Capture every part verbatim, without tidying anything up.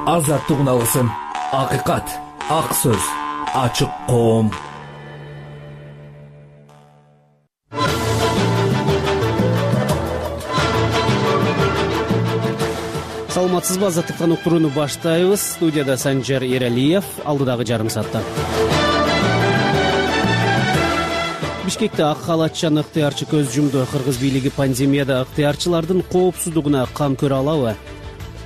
азаттык уналысын, акыйкат, ак сөз, ачык коом. Саламатсызбы, азаттыктан уктурууну баштайбыз. Студияда Санжар Эралиев, алдыдагы жарым саатта. Бишкекте ак халатчан ыктыярчы көз жумду. Кыргыз бийлиги пандемияда ыктыярчылардын коопсуздугуна кам көрө алабы?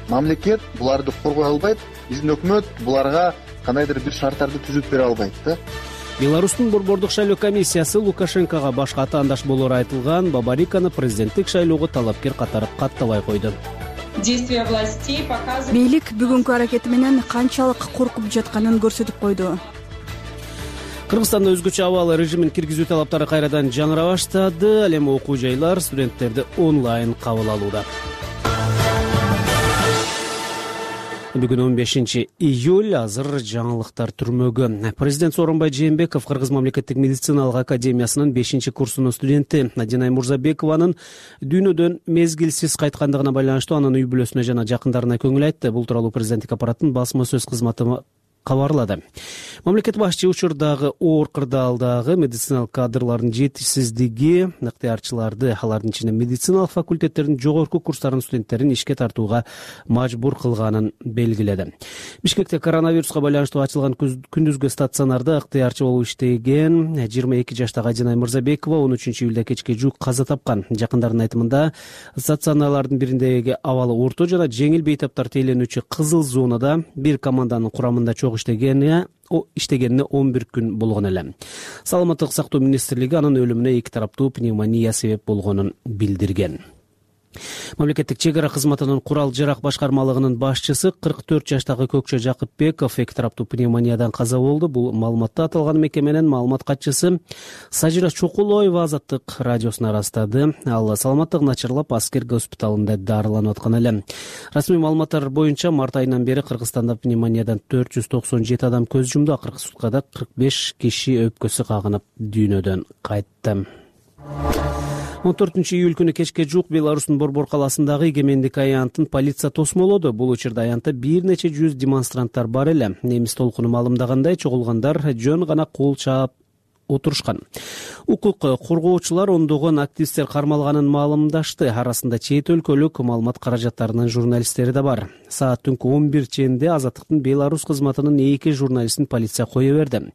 Мамлекет буларды коргой албайт, биздин өкмөт буларга кандайдыр бир шарттарды түзүп бере албайт да. Беларустун борбордук шайлоо комиссиясы Лукашенкого башка атаандаш болоору айтылган Бабариканы президенттик шайлоого талапкер катары каттабай койду. Бийлик бүгүнкү аракети менен канчалык коркуп жатканын көрсөтүп койду. Кыргызстанда өзгөчө абал режимин киргизүү талаптары кайрадан жаңыра баштады. Ал эми окуу жайлар студенттерди онлайн кабыл алууда. Бүгүн он бешинчи июль, азыр жаңылыктар түрмөгү. Президент Сооронбай Жээнбеков Кыргыз мамлекеттик медициналык академиясынын бешинчи курсунун студенти Надинай Мурзабекованын дүйнөдөн мезгилсиз кайткандыгына байланыштуу анын үй бүлөсүнө жана жакындарына көңүл айтты. Бул тууралуу президенттик аппараттын басма сөз кызматы кабарлады. Мамлекет башчы учурдагы оор кырдаалдагы медициналык кадрлардын жетишсиздиги ыктыярчыларды, алардын ичинде медициналык факультеттердин жогорку курстарынын студенттерин ишке тартууга мажбур кылганын белгиледи. Бишкекте коронавируска байланыштуу ачылган күндүзгү стационарда ыктыярчы болуп иштеген жыйырма эки жаштагы Надинай Мурзабекова он үчүнчү июлда кечке жуук каза тапкан. Жакындарынын айтымында стационарлардын бириндеги абалы орто жана жеңил бейтаптар тейлөнүүчү кызыл зонада бир команданын курамында чогуу иштегени иштегенине он бир күн болгон эле. Саламаттык сактоо министрлиги анын өлүмүнө эки тараптуу пневмония себеп болгонун билдирген. Мамлекеттик чек ара кызматынын курал жарак башкармалыгынын башчысы кырк төрт жаштагы Көкчө Жакыпбеков эки тараптуу пневмониядан каза болду. Бул маалыматты аталган мекеменин маалымат катчысы Сажира Чокулоева Азаттык радиосуна ырастады. Ал саламаттыгы начарлап аскер госпиталында дарыланып аткан эле. Расмий маалыматтар боюнча март айынан бери Кыргызстанда пневмониядан төрт жүз токсон жети адам көз жумду. Акыркы суткада кырк беш киши өпкөсү кагынып дүйнөдөн кайтты. он төртүнчү июль күнү кечке жуук Беларустун Борбор калаасындагы Эгемендик аянтын полиция тосмолоду. Бул учурда аянтта бир нече жүз демонстранттар бар эле. Немис толкуну маалымдагандай, чогулгандар жөн гана кол чаап отурушкан. Укук коргоочулар ондогон активисттер кармалганын маалымдашты. Арасында чет өлкөлүк маалымат каражаттарынын журналисттери да бар. Саат түнкү он бир чейинде Азаттыктын Беларусь кызматынын эки журналистин полиция кое берди.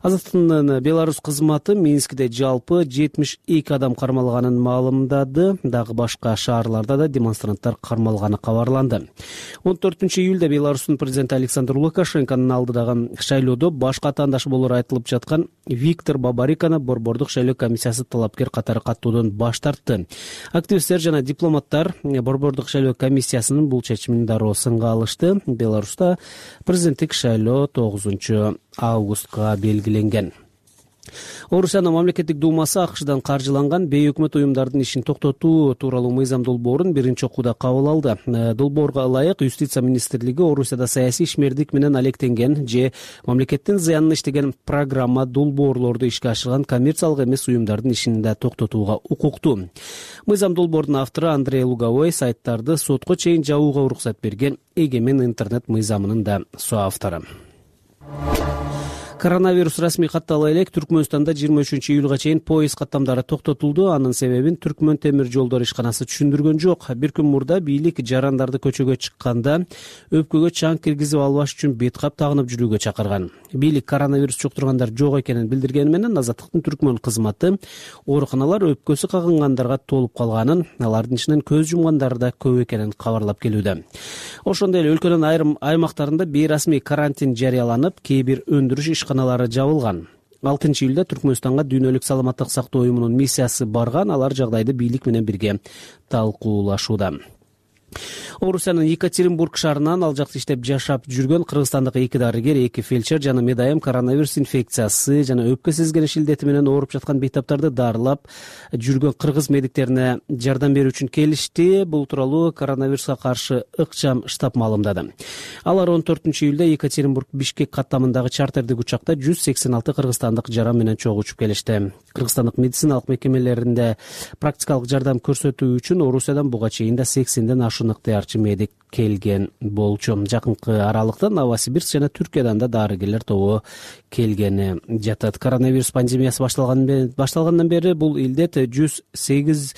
Азаттыктын Беларусь кызматы Минскде жалпы жетимиш эки адам кармалганын маалымдады. Дагы башка шаарларда да демонстранттар кармалганы кабарланды. он төртүнчү июлда Беларустун президенти Александр Лукашенконун алдыдагы шайлоодо башка атаандаш болоору айтылып жаткан Виктор Бабариканы борбордук шайлоо комиссиясы талапкер катары каттоодон баш тартты. Активисттер жана дипломаттар борбордук шайлоо комиссиясынын бул чечимин дароо сынга алышты. Беларуста президенттик шайлоо тогузунчу августка белгиленген. Орусиянын мамлекеттик думасы АКШдан каржыланган бейөкмөт уюмдардын ишин токтотуу тууралуу мыйзам долбоорун биринчи окууда кабыл алды. Долбоорго ылайык Юстиция министрлиги Орусияда саясий ишмердик менен алектенген же мамлекеттин зыянына иштеген программа долбоорлорду ишке ашырган коммерциялык эмес уюмдардын ишин да токтотууга укуктуу. Мыйзам долбоордун автору Андрей Луговой сайттарды сотко чейин жабууга уруксат берген Эгемен интернет мыйзамынын да соавтору. Коронавирус расмий каттала элек Түркмөнстанда жыйырма үчүнчү июлга чейин поезд каттамдары токтотулду. Анын себебин Түркмөн темир жолдор ишканасы түшүндүргөн жок. Бир күн мурда бийлик жарандарды көчөгө чыкканда өпкөгө чаң киргизип албаш үчүн бет кап тагынып жүрүүгө чакырган. Бийлик коронавирус жуктургандар жок экенин билдиргени менен Азаттыктын Түркмөн кызматы ооруканалар өпкөсү кагынгандарга толуп калганын, алардын ичинен көз жумгандар да көп экенин кабарлап келүүдө. Ошондой эле өлкөнүн айрым аймактарында бейрасмий карантин жарыяланып, кээ бир өндүрүш ишканалары жабылган. алтынчы июлда Түркмөнстанга дүйнөлүк саламаттык сактоо уюмунун миссиясы барган. Алар жагдайды бийлик менен бирге талкуулашууда. Орусиянын Екатеринбург шаарынан ал жакта иштеп жашап жүргөн кыргызстандык эки дарыгер, эки фельдшер жана медайым коронавирус инфекциясы жана өпкө сезгениш илдети менен ооруп жаткан бейтаптарды дарылап жүргөн кыргыз медиктерине жардам берүү үчүн келишти. Бул тууралуу коронавируска каршы ыкчам штаб маалымдады. Алар он төртүнчү июлда Екатеринбург Бишкек каттамындагы чартердик учакта жүз сексен алты кыргызстандык жаран менен чогуу учуп келишти. Кыргызстандык медициналык мекемелеринде практикалык жардам көрсөтүү үчүн Орусиядан буга чейин да сексенден ашуун ошону ыктыярчы медик келген болчу. Жакынкы аралыкта Новосибирск жана Түркиядан да дарыгерлер тобу келгени жатат. Коронавирус пандемиясы башталгандан бери бул илдет жүз сегиз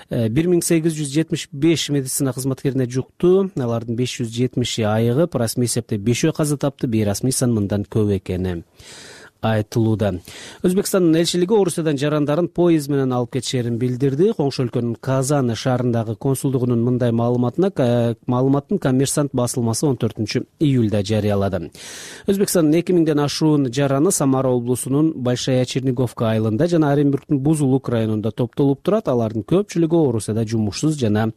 бир миң сегиз жүз жетимиш беш медицина кызматкерине жукту. Алардын беш жүз жетимиши айыгып, расмий эсепте бешөө каза тапты. Бейрасмий сан мындан көп экени айтылууда. Өзбекстандын элчилиги Орусиядан жарандарын поезд менен алып кетишерин билдирди. Коңшу өлкөнүн Казан шаарындагы консулдугунун мындай маалыматына маалыматтын Коммерсант басылмасы он төртүнчү июлда жарыялады. Өзбекстандын эки миңден ашуун жараны Самара облусунун Большая Черниговка айылында жана Оренбургдун Бузулук районунда топтолуп турат. Алардын көпчүлүгү Орусияда жумушсуз жана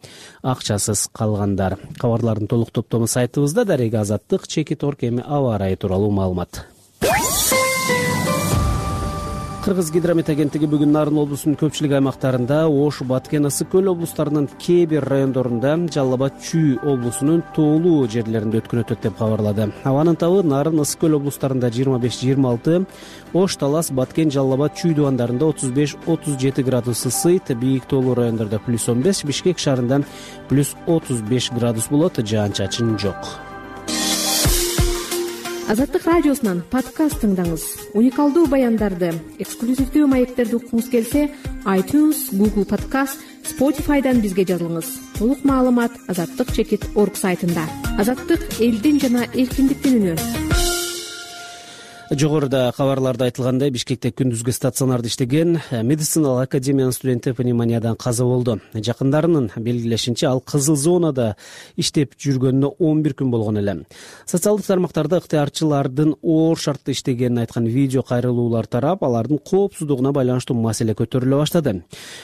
акчасыз калгандар. Кабарлардын толук топтому сайтыбызда. Дарега Азаттык, Чекит Орг эми аба ырайы тууралуу маалымат. Кыргыз гидромет агенттиги бүгүн Нарын облусунун көпчүлүк аймактарында, Ош, Баткен, Ысык көл облустарынын кээ бир райондорунда, Жалал Абад, Чүй облусунун тоолуу жерлеринде өткөн өтөт деп кабарлады. Абанын табы Нарын, Ысык көл облустарында жыйырма беш жыйырма алты, Ош, Талас, Баткен, Жалал Абад, Чүй дубандарында отуз беш отуз жети градус ысыйт, бийик тоолуу райондордо плюс он беш, Бишкек шаарында плюс отуз беш градус болот, жаан-чачын жок. Азаттык радиосунан подкаст тыңдаңыз. Уникалдуу баяндарды, эксклюзивдүү маектерди уккуңуз келсе, iTunes, Google Podcast, Spotify'дан бизге жазылыңыз. Толук маалымат азаттык чекит орг сайтында. Азаттык элдин жана эркиндиктин үнү. Жогоруда кабарларда айтылгандай, Бишкекте күндүзгү стационарда иштеген медициналык академиянын студенти пневмониядан каза болду. Жакындарынын белгилешинче, ал кызыл зонада иштеп жүргөнүнө он бир күн болгон эле. Социалдык тармактарда ыктыярчылардын оор шартта иштегенин айткан видео кайрылуулар тарап, алардын коопсуздугуна байланыштуу маселе көтөрүлө баштады.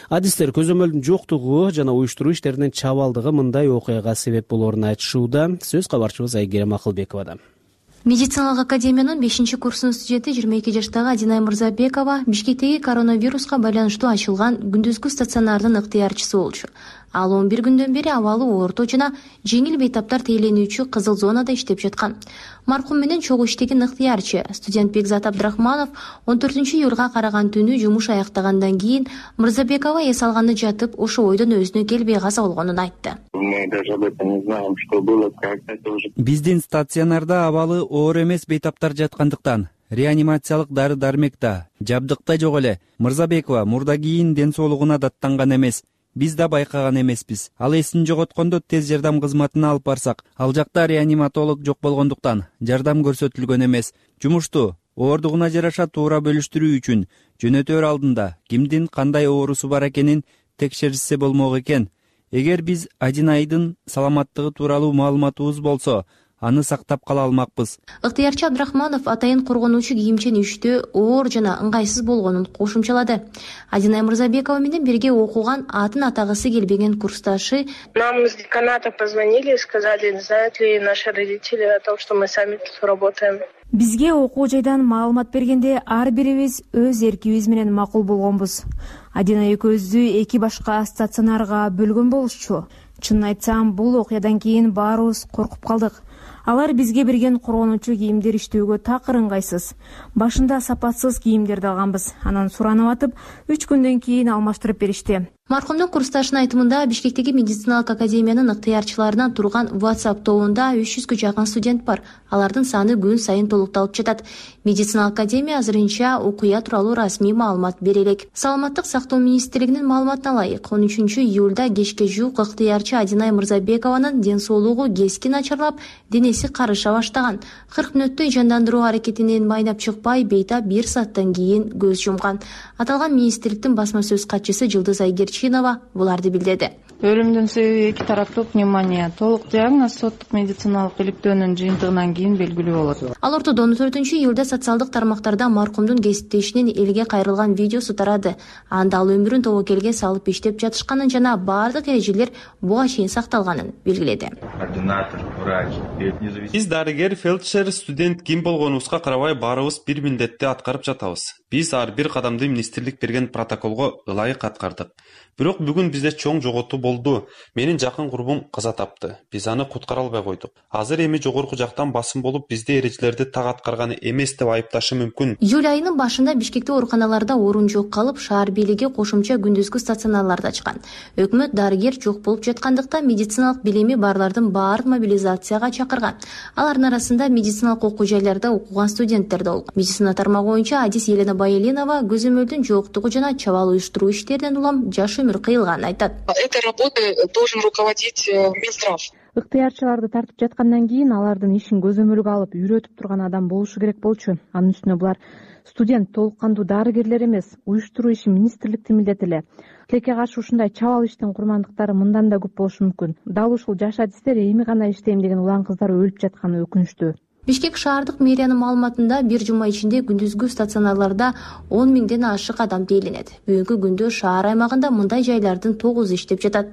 Адистер көзөмөлдүн жоктугу жана уюштуруу иштеринин чабалдыгы мындай окуяга себеп болоорун айтышууда. Сөз кабарчыбыз Айгерим Акылбековада. Медициналык академиянын бешинчи курсунун студенти жыйырма эки жаштагы Адинай Мырзабекова Бишкектеги коронавируска байланыштуу ачылган күндүзгү стационардын ыктыярчысы болчу. Ал он бир күндөн бери абалы орто жана жеңил бейтаптар тээленүүчү кызыл зонада иштеп жаткан. Маркум менен чогуу иштеген ыктыярчы студент Бекзат Абдрахманов он төртүнчү июлга караган түнү жумуш аяктагандан кийин Мырзабекова эс алганда жатып, ошо ойдон өзүнө келбей каза болгонун айтты. Биздин стационарда абалы оор эмес бейтаптар жаткандыктан реанимациялык дары-дармек да, жабдык да жок эле. Мырзабекова мурда кийин ден соолугуна даттанган эмес. Биз да байкаган эмеспиз. Ал эсин жоготкондо тез жардам кызматына алып барсак, ал жакта реаниматолог жок болгондуктан жардам көрсөтүлгөн эмес. Жумушту оордугуна жараша туура бөлүштүрүү үчүн жөнөтөр алдында кимдин кандай оорусу бар экенин текшеришсе болмок экен. Эгер биз Адинайдын саламаттыгы тууралуу маалыматыбыз болсо, аны сактап кала алмакпыз. Ыктыярчы Абдрахманов атайын коргонуучу кийимчен иштөө оор жана ыңгайсыз болгонун кошумчалады. Адинай Мырзабекова менен бирге окуган атын атагысы келбеген курсташы: Нам из деканата позвонили и сказали, знают ли наши родители о том, что мы сами тут работаем. Бизге окуу жайдан маалымат бергенде ар бирибиз өз эркибиз менен макул болгонбуз. Адина экөөбүздү эки башка стационарга бөлгөн болушчу. Чынын айтсам, бул окуядан кийин баарыбыз коркуп калдык. Алар бизге берген коргонуучу кийимдер иштөөгө такыр ыңгайсыз. Башында сапатсыз кийимдерди алганбыз. Анан суранып атып, үч күндөн кийин алмаштырып беришти. Маркумдун курсташынын айтымында, Бишкектеги медициналык академиянын ыктыярчыларынан турган WhatsApp тобунда үч жүзгө жакын студент бар. Алардын саны күн сайын толукталып жатат. Медициналык академия азырынча окуя тууралуу расмий маалымат бере элек. Саламаттык сактоо министрлигинин маалыматына ылайык, он үчүнчү июлда кечке жуук ыктыярчы Адинай Мырзабекованын ден соолугу кескин начарлап, денеси карыша баштаган. кырк мүнөттөй жандандыруу аракетинен майнап чыкпай, бейтап бир сааттан кийин көз жумган. Аталган министрликтин басма сөз катчысы Жылдыз Айгерчинова буларды билдирди. Өлүмдүн себеби эки тараптуу пневмония. Толук диагноз соттук медициналык иликтөөнүн жыйынтыгынан кийин белгилүү болот. Ал ортодо он төртүнчү июлда социалдык тармактарда маркумдун кесиптешинин элге кайрылган видеосу тарады. Анда ал өмүрүн тобокелге салып иштеп жатышканын жана баардык эрежелер буга чейин сакталганын белгиледи. Биз дарыгер, фельдшер, студент ким болгонубузга карабай баарыбыз бир милдетти аткарып жатабыз. Биз ар бир кадамды министрлик берген протоколго ылайык аткардык. Бирок бүгүн бизде чоң жоготуу болду. Менин жакын курбум каза тапты. Биз аны куткара албай койдук. Азыр эми жогорку жактан басым болуп, бизде эрежелерди так аткарганы эмес деп айыпташы мүмкүн. Июль айынын башында Бишкекте ооруканаларда орун жок калып, шаар бийлиги кошумча күндүзгү стационарларды ачкан. Өкмөт дарыгер жок болуп жаткандыктан медициналык билими барлардын баарын мобилизацияга чакырган. Алардын арасында медициналык окуу жайларда окуган студенттер да болгон. Медицина тармагы боюнча адис Елена Байеленова көзөмөлдүн жоктугу жана чабаал уюштуруу иштеринен улам жаш өмүр кыйылганын айтат. Этой работой должен руководить Минздрав. Ыктыярчыларды тартып жаткандан кийин алардын ишин көзөмөлгө алып үйрөтүп турган адам болушу керек болчу. Анын үстүнө булар студент, толук кандуу дарыгерлер эмес, уюштуруу иши министрликтин милдети эле. Тилекке каршы ушундай чабаал иштин курмандыктары мындан да көп болушу мүмкүн. Дал ушул жаш адистер эми гана иштейм деген улан кыздар өлүп жатканы өкүнүчтүү. Бишкек шаардык мэриянын маалыматында бир жума ичинде күндүзгү стационарларда он миңден ашык адам тейлинет. Бүгүнкү күндө шаар аймагында мындай жайлардын тогузу иштеп жатат.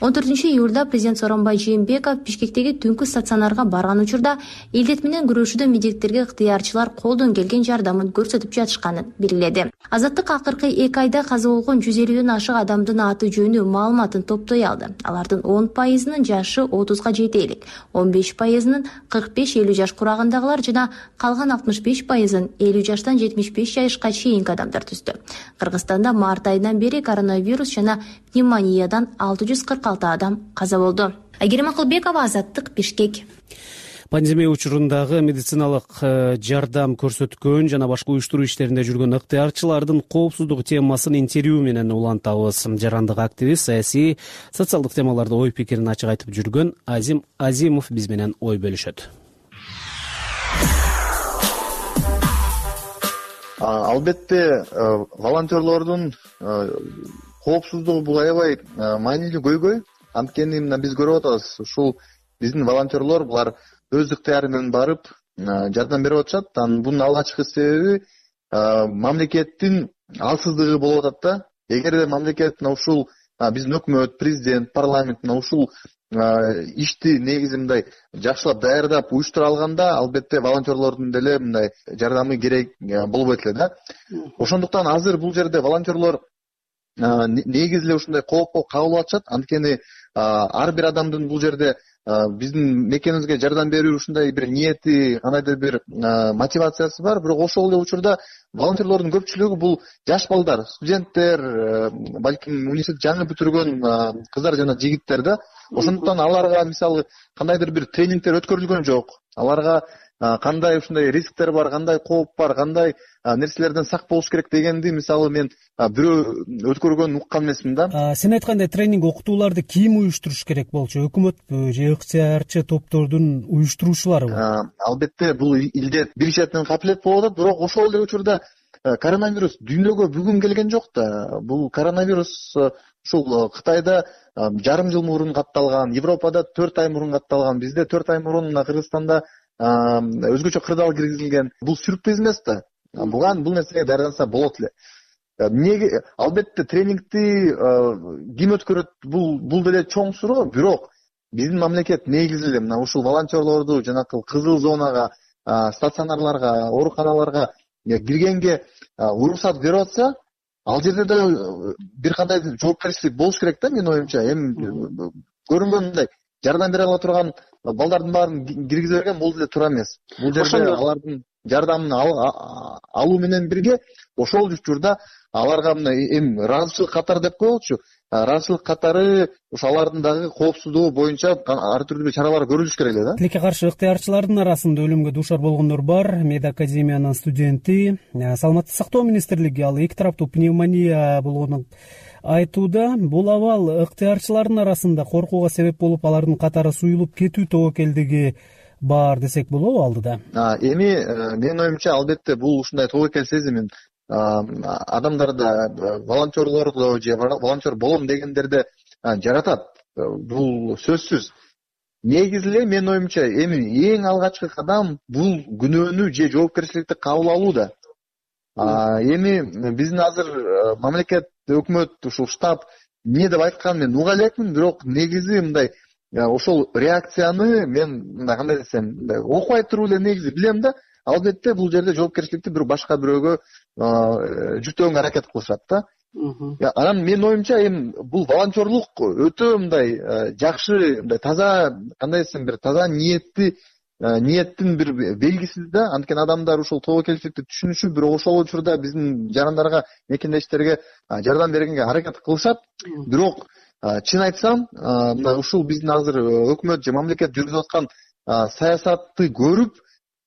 он төртүнчү июлда президент Сооронбай Жээнбеков Бишкектеги түнкү стационарга барган учурда илдет менен күрөшүүдө медиктерге ыктыярчылар колдон келген жардамын көрсөтүп жатышканын белгиледи. Азаттык акыркы эки айда каза болгон жүз элүүдөн ашык адамдын аты жөнү маалыматын топтой алды. Алардын он пайызынын жашы отузга жете элек, он беш пайызынын кырк беш элүү жаш курагындагылар жана калган алтымыш беш пайызын элүү жаштан жетимиш беш жашка чейинки адамдар түздү. Кыргызстанда март айынан бери коронавирус жана пневмониядан алты жүз кырк алты адам каза болду. Айгерим Акылбекова, Азаттык, Бишкек. Пандемия учурундагы медициналык жардам көрсөткөн жана башка уюштуруу иштеринде жүргөн ыктыярчылардын коопсуздугу темасын интервью менен улантабыз. Жарандык активист, саясий, социалдык темаларда ой пикирин ачык айтып жүргөн Азим Азимов биз менен ой бөлүшөт. Албетте волонтерлордун коопсуздугу бул аябай маанилүү көйгөй. Анткени мына биз көрүп атабыз, ушул биздин волонтерлор булар өз ыктыяры менен барып жардам берип атышат. Анын бунун алгачкы себеби мамлекеттин алсыздыгы болуп атат да. Эгерде мамлекет мына ушул биздин өкмөт, президент, парламент мына ушул ишти негизи мындай жакшылап даярдап уюштура алганда, албетте волонтерлордун деле мындай жардамы керек болбойт эле да. Ошондуктан азыр бул жерде волонтерлор негизи эле ушундай коопко кабыл атышат. Анткени ар бир адамдын бул жерде биздин мекенибизге жардам берүү ушундай бир ниети, кандайдыр бир мотивациясы бар. Бирок ошол эле учурда волонтерлордун көпчүлүгү бул жаш балдар, студенттер, балким университет жаңы бүтүргөн кыздар жана жигиттер да. Ошондуктан аларга мисалы кандайдыр бир тренингдер өткөрүлгөн жок. Аларга кандай ушундай рисктер бар, кандай кооп бар, кандай нерселерден сак болуш керек дегенди мисалы мен бирөө өткөргөнүн уккан эмесмин да. Сен айткандай тренинг окутууларды ким уюштуруш керек болчу? Өкмөтпү же ыктыярчы топтордун уюштуруучуларыбы? Албетте бул илдет бир четинен капилет болуп атат, бирок ошол эле учурда коронавирус дүйнөгө бүгүн келген жок да. Бул коронавирус ушул Кытайда жарым жыл мурун катталган, Европада төрт ай мурун катталган, бизде төрт ай мурун мына Кыргызстанда өзгөчө кырдаал киргизилген. Бул сюрприз эмес да. Буган бул нерсеге даярданса болот эле. Эмнеге албетте тренингти ким өткөрөт? Бул бул деле чоң суроо, бирок биздин мамлекет негизи эле мына ушул волонтерлорду жанакы кызыл зонага, стационарларга, ооруканаларга киргенге уруксат берип атса, ал жерде да бир кандай жоопкерчилик болуш керек да, менин оюмча. Эми көрүнгөндөй жардам бере ала турган балдардын баарын киргизе берген бул деле туура эмес. Бул жерде алардын жардамын алуу менен бирге ошол учурда аларга мына эми ыраазычылык катары деп коелучу. Ыраазычылык катары ошо алардын дагы коопсуздугу боюнча ар түрдүү чаралар көрүлүш керек эле да. Тилекке каршы ыктыярчылардын арасында өлүмгө дуушар болгондор бар. Медакадемиянын студенти, Саламаттык сактоо министрлиги ал эки тараптуу пневмония болгонун айтууда. Бул абал ыктыярчылардын арасында коркууга себеп болуп, алардын катары суюлуп кетүү тобокелдиги бар десек болобу алдыда? Эми менин оюмча албетте бул ушундай тобокел сезимин адамдарда, волонтерлордо же волонтер болом дегендерде жаратат. Бул сөзсүз. Негизи эле менин оюмча эми эң алгачкы кадам бул күнөөнү же жоопкерчиликти кабыл алуу да. Эми биздин азыр мамлекет, өкмөт, ушул штаб эмне деп айтканын мен уга элекмин, бирок негизи мындай ошол реакцияны мен мындай кандай десем, окубай туруп эле негизи билем да. албетте бул жерде жоопкерчиликти бир башка бирөөгө жүктөгөнгө аракет кылышат да. Анан менин оюмча эми бул волонтерлук өтө мындай жакшы, мындай таза, кандай десем, бир таза ниетти ниеттин бир белгиси да. Анткени адамдар ушул тобокелчиликти түшүнүшүп, бир ошол учурда биздин жарандарга, мекендештерге жардам бергенге аракет кылышат. Бирок чын айтсам, мына ушул биздин азыр өкмөт же мамлекет жүргүзүп аткан саясатты көрүп,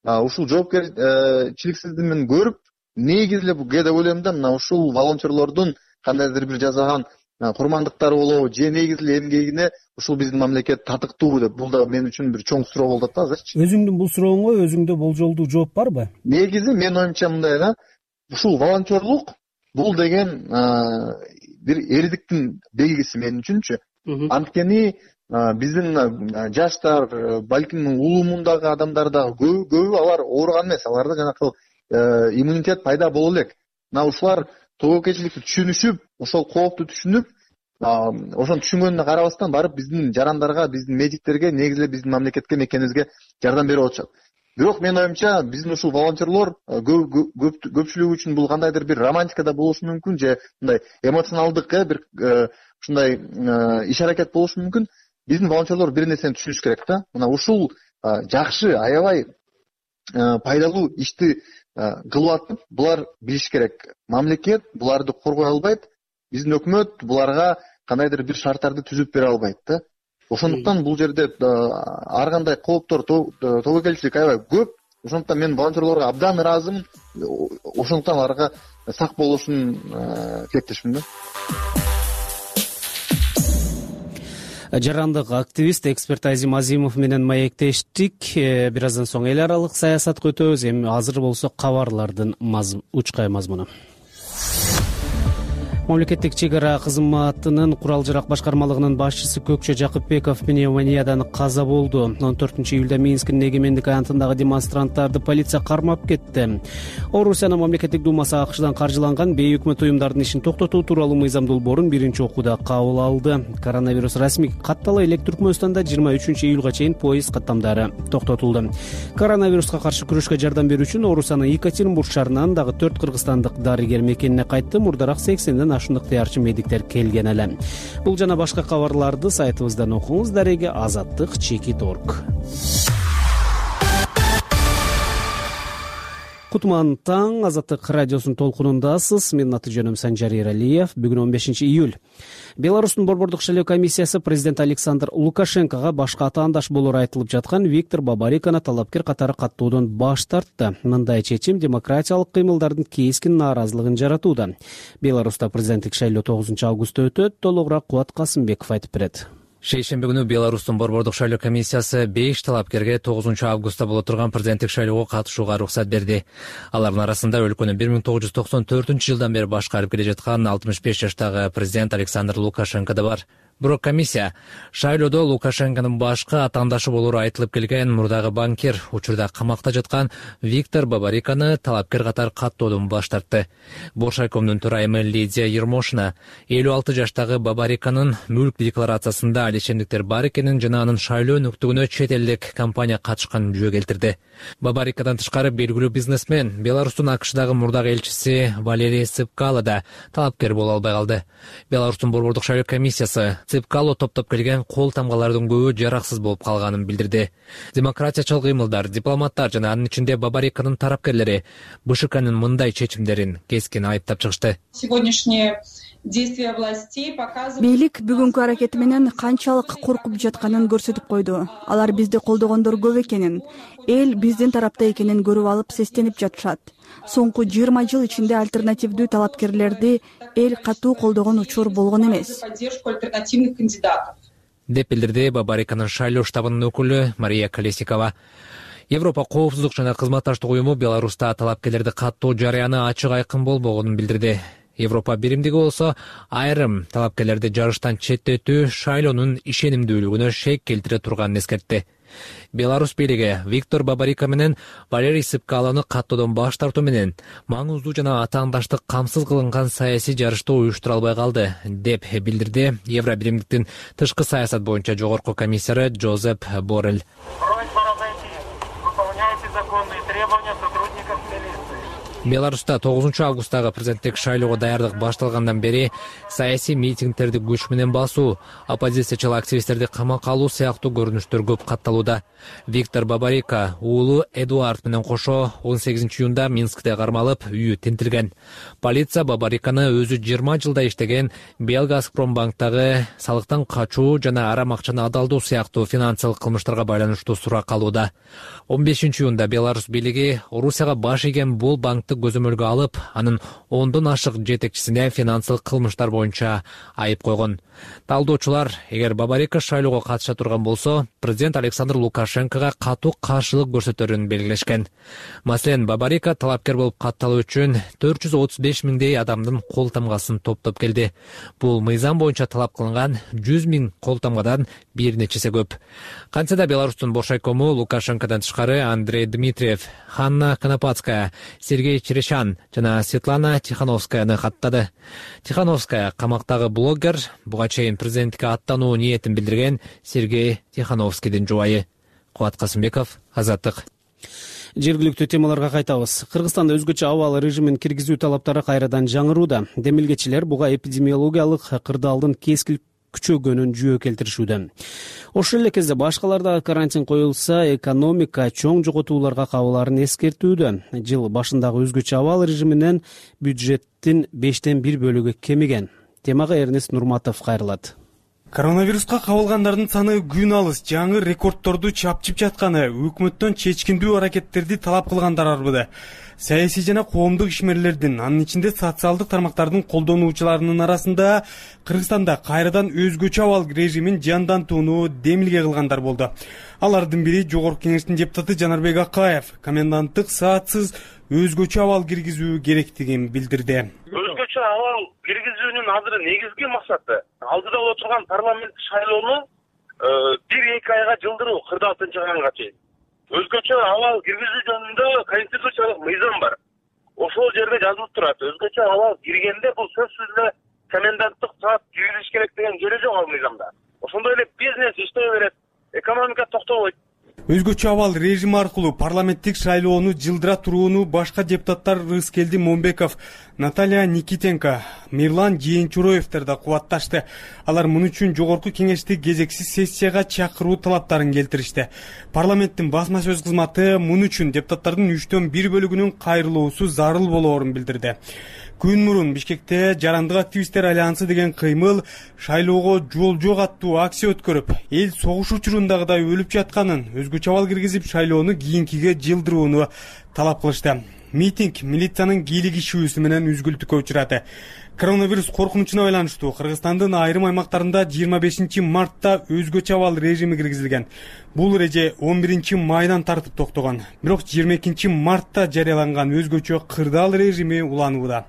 ушул жоопкерчиликсиздигин көрүп, негизи эле бул деп ойлойм да, мына ушул волонтерлордун кандайдыр бир жасаган курмандыктары болобу же негизи эле эмгегине ушул биздин мамлекет татыктуубу деп, бул да мен үчүн бир чоң суроо болуп атат да азырчы. Өзүңдүн бул сурооңо өзүңдө болжолдуу жооп барбы? Негизи менин оюмча мындай да, ушул волонтерлук бул деген бир эрдиктин белгиси мен үчүнчү. Анткени биздин жаштар, балким улуумундагы адамдар дагы көбү алар ооруган эмес, аларда жанакы иммунитет пайда боло элек. Мына ушулар тобокелчиликти түшүнүшүп, ошол коопту түшүнүп, ошону түшүнгөнүнө карабастан барып биздин жарандарга, биздин медиктерге, негизи эле биздин мамлекетке, мекенибизге жардам берип атышат. Бирок менин оюмча биздин ушул волонтерлор көпчүлүгү үчүн бул кандайдыр бир романтика да болушу мүмкүн, же мындай эмоционалдык бир ушундай иш аракет болушу мүмкүн. Биздин волонтерлор бир нерсени түшүнүш керек да. Мына ушул жакшы, аябай пайдалуу ишти кылып атып, булар билиш керек. Мамлекет буларды коргой албайт, биздин өкмөт буларга кандайдыр бир шарттарды түзүп бере албайт да. Ошондуктан бул жерде ар кандай кооптор, тобокелчилик аябай көп. Ошондуктан мен волонтерлорго абдан ыраазымын. Ошондуктан аларга сак болушун тилектешмин да. Жарандык активист, эксперт Азим Азимов менен маектештик. Бир аздан соң эл аралык саясатка өтөбүз. Эми азыр болсо кабарлардын учкай мазмуну. Мамлекеттик чек ара кызматынын курал жарак башкармалыгынын башчысы Көкчө Жакыпбеков пневмониядан каза болду. он төртүнчү июлда Минскдин эгемендик аянтындагы демонстранттарды полиция кармап кетти. Орусиянын мамлекеттик думасы АКШдан каржыланган бейөкмөт уюмдардын ишин токтотуу тууралуу мыйзам долбоорун биринчи окууда кабыл алды. Коронавирус расмий каттала элек Түркмөнстанда жыйырма үчүнчү июлга чейин поезд каттамдары токтотулду. Коронавируска каршы күрөшкө жардам берүү үчүн Орусиянын Екатеринбург шаарынан дагы төрт кыргызстандык дарыгер мекенине кайтты. Мурдараак сексенден ашындык ыктыярчы медиктер келген эле. Бул жана башка кабарларды сайтыбыздан окуңуз. Дареги азаттык чекит точка орг. Кутман таң, Азаттык радиосунун толкунундасыз. Менин аты жөнүм Санжар Эралиев. Бүгүн он бешинчи июль. Беларустун борбордук шайлоо комиссиясы президент Александр Лукашенкого башка атаандаш болору айтылып жаткан Виктор Бабариканы талапкер катары каттоодон баш тартты. Мындай чечим демократиялык кыймылдардын кескин нааразылыгын жаратууда. Беларуста президенттик шайлоо тогузунчу августта өтөт. Толугураак Кубат Касымбеков айтып берет. Шейшемби күнү Беларустун борбордук шайлоо комиссиясы беш талапкерге тогузунчу августта боло турган президенттик шайлоого катышууга уруксат берди. Алардын арасында өлкөнү бир миң тогуз жүз токсон төртүнчү жылдан бери башкарып келе жаткан алтымыш беш жаштагы президент Александр Лукашенко да бар. Бирок комиссия шайлоодо Лукашенконун башкы атаандашы болору айтылып келген мурдагы банкир, учурда камакта жаткан Виктор Бабариканы талапкер катары каттоодон баш тартты. Боршайкомдун төрайымы Лидия Ермошина элүү алты жаштагы Бабариканын мүлк декларациясында алишемдиктер бар экенин жана анын шайлоо нүктөгүнө чет элдик компания катышканын жөө келтирди. Бабарикадан тышкары белгилүү бизнесмен, Беларустун АКШдагы мурдагы элчиси Валерий Цыпкало да талапкер боло албай калды. Беларустун борбордук шайлоо комиссиясы Цыпкало топтоп келген кол тамгалардын көбү жараксыз болуп калганын билдирди. Демократиячыл кыймылдар, дипломаттар жана анын ичинде Бабариканын тарапкерлери БШКнын мындай чечимдерин кескин айыптап чыгышты. Бийлик бүгүнкү аракети менен канчалык коркуп жатканын көрсөтүп койду. Алар бизди колдогондор көп экенин, эл биздин тарапта экенин көрүп алып сестенип жатышат. Соңку жыйырма жыл ичинде альтернативдүү талапкерлерди эл катуу колдогон учур болгон эмес. Деп билдирди Бабариканын шайлоо штабынын өкүлү Мария Колесникова. Европа коопсуздук жана кызматташтык уюму Беларуста талапкерлерди каттоо жарыяны ачык айкын болбогонун билдирди. Европа биримдиги болсо айрым талапкерлерди жарыштан четтетүү шайлоонун ишенимдүүлүгүнө шек келтире турганын эскертти. Беларус бийлиги Виктор Бабарика менен Валерий Цыпкалону каттоодон баш тартуу менен маңыздуу жана атаандаштык камсыз кылынган саясий жарышты уюштура албай калды, деп билдирди Евро биримдиктин тышкы саясат боюнча жогорку комиссары Джозеп Боррель. Беларуста тогузунчу августтагы президенттик шайлоого даярдык башталгандан бери саясий митингдерди күч менен басуу, оппозициячыл активисттерди камакка алуу сыяктуу көрүнүштөр көп катталууда. Виктор Бабарика уулу Эдуард менен кошо он сегизинчи июнда Минскте кармалып, үйү тинтилген. Полиция Бабариканы өзү жыйырма жылда иштеген Белгазпромбанктагы салыктан качуу жана арам акчаны адалдоо сыяктуу финансылык кылмыштарга байланыштуу сурак алууда. он бешинчи июнда Беларусь бийлиги Орусияга баш ийген бул банкты көзөмөлгө алып, анын ондон ашык жетекчисине финансылык кылмыштар боюнча айып койгон. Талдоочулар, эгер Бабарика шайлоого катыша турган болсо, президент Александр Лукашенкого катуу каршылык көрсөтөрүн белгилешкен. Маселен, Бабарика талапкер болуп катталуу үчүн төрт жүз отуз беш миңдей адамдын кол тамгасын топтоп келди. Бул мыйзам боюнча талап кылынган жүз миң кол тамгадан бир нечеси көп. Кантсе да Беларустун бошайкому Лукашенкодон тышкары Андрей Дмитриев, Ханна Конопадская, Сергей Черешан жана Светлана Тихановскаяны каттады. Тихановская камактагы блогер, буга чейин президенттикке аттануу ниетин билдирген Сергей Тихановскийдин жубайы. Кубат Касымбеков, Азаттык. Жергиликтүү темаларга кайтабыз. Кыргызстанда өзгөчө абал режимин киргизүү талаптары кайрадан жаңырууда. Демилгечилер буга эпидемиологиялык кырдаалдын кескин күчөгөнүн жүйө келтиришүүдө. Ошол эле кезде башкаларда карантин коюлса, экономика чоң жоготууларга кабылаарын эскертүүдө. Жыл башындагы өзгөчө абал режиминен бюджеттин бештен бир бөлүгү кемиген. Темага Эрнест Нурматов кайрылат. Коронавируска кабылгандардын саны күн алыс жаңы рекордторду чапчып жатканы өкмөттөн чечкиндүү аракеттерди талап кылгандар арбыды. Саясий жана коомдук ишмерлердин, анын ичинде социалдык тармактардын колдонуучуларынын арасында Кыргызстанда кайрадан өзгөчө абал режимин жандантууну демилге кылгандар болду. Алардын бири Жогорку Кеңештин депутаты Жанарбек Акаев коменданттык саатсыз өзгөчө абал киргизүү керектигин билдирди. Өзгөчө абал киргизүүнүн азыр негизги максаты алдыда боло турган парламент шайлоону бир эки айга жылдыруу кырк алтынчы айга чейин. Өзгөчө абал киргизүү жөнүндө конституциялык мыйзам бар. Ошол жерде жазылып турат. Өзгөчө абал киргенде бул сөзсүз эле коменданттык саат жүйүлүш керек деген жери жок ал мыйзамда. Ошондой эле бизнес иштей берет, экономика токтобойт. Өзгөчө абал режим аркылуу парламенттик шайлоону жылдыра турууну башка депутаттар Рыскелди Момбеков, Наталья Никитенко, Мирлан Жээнчуроевдер да кубатташты. Алар муну үчүн Жогорку Кеңешти кезексиз сессияга чакыруу талаптарын келтиришти. Парламенттин басма сөз кызматы муну үчүн депутаттардын үчтөн бир бөлүгүнүн кайрылуусу зарыл болоорун билдирди. Күн мурун Бишкекте Жарандык активисттер альянсы деген кыймыл шайлоого жол жок аттуу акция өткөрүп, эл согуш учурундагыдай өлүп жатканын, өзгөчө абал киргизип шайлоону кийинкиге жылдырууну талап кылышты. Митинг милициянын кийлигишүүсү менен үзгүлтүккө учурады. Коронавирус коркунучуна байланыштуу Кыргызстандын айрым аймактарында жыйырма бешинчи мартта өзгөчө абал режими киргизилген. Бул эреже он биринчи майдан тартып токтогон. Бирок жыйырма экинчи мартта жарыяланган өзгөчө кырдаал режими уланууда.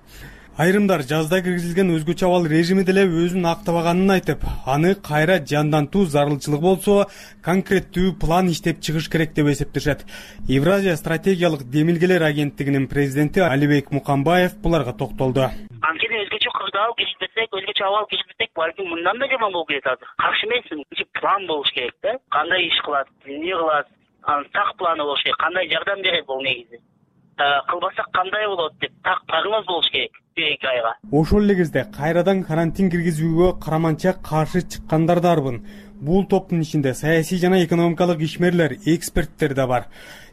Айрымдар жазда киргизилген өзгөчө абал режими деле өзүн актабаганын айтып, аны кайра жандантуу зарылчылык болсо, конкреттүү план иштеп чыгыш керек деп эсептешет. Евразия стратегиялык демилгелер агенттигинин президенти Алибек Мукамбаев буларга токтолду. Анткени өзгөчө кырдаал киргизбесек, өзгөчө абал киргизбесек, балким мындан да жаман болуп кетет азыр. Каршы эмесмин. План болуш керек да. Кандай иш кылат, эмне кылат, анын так планы болуш керек. Кандай жардам берет бул негизи. Кылбасак кандай болот деп так прогноз болуш керек. Ошол эле кезде кайрадан карантин киргизүүгө караманча каршы чыккандар да арбын. Бул топтун ичинде саясий жана экономикалык ишмерлер, эксперттер да бар.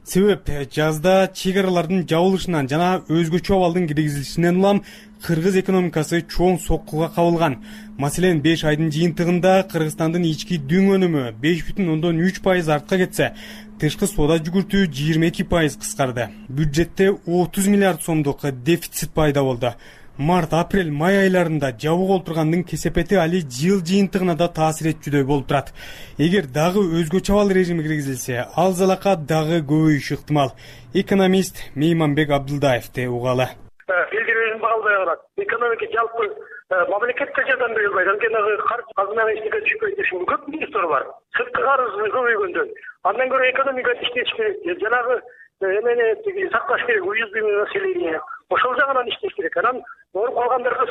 Себеп жазда чек аралардын жабылышынан жана өзгөчө абалдын киргизилишинен улам кыргыз экономикасы чоң соккуга кабылган. Маселен, беш айдын жыйынтыгында Кыргызстандын ички дүң өнүмү беш бүтүн ондон үч пайыз артка кетсе, тышкы соода жүгүртүү жыйырма эки пайыз кыскарды. Бюджетте отуз миллиард сомдук дефицит пайда болду. Март, апрель, май айларында жабык олтургандын кесепети али жыл жыйынтыгына да таасир этчүдөй болуп турат. Эгер дагы өзгөчө абал режими киргизилсе, ал залака дагы көбөйүшү ыктымал. Экономист Мейманбек Абдылдаевди угалы. Элдердин багалбай калат. Экономика жалпы мамлекетке жардам бере албайт. Анткени карыз казынага иштеген түшпөйт дешим көп министр бар. Сырткы карыз көбөйгөндөн. Андан көрө экономика иштеш керек. Жанагы эмени сакташ керек, уюздук население. Ошол жагынан иштеш керек. Анан ооруп калгандарга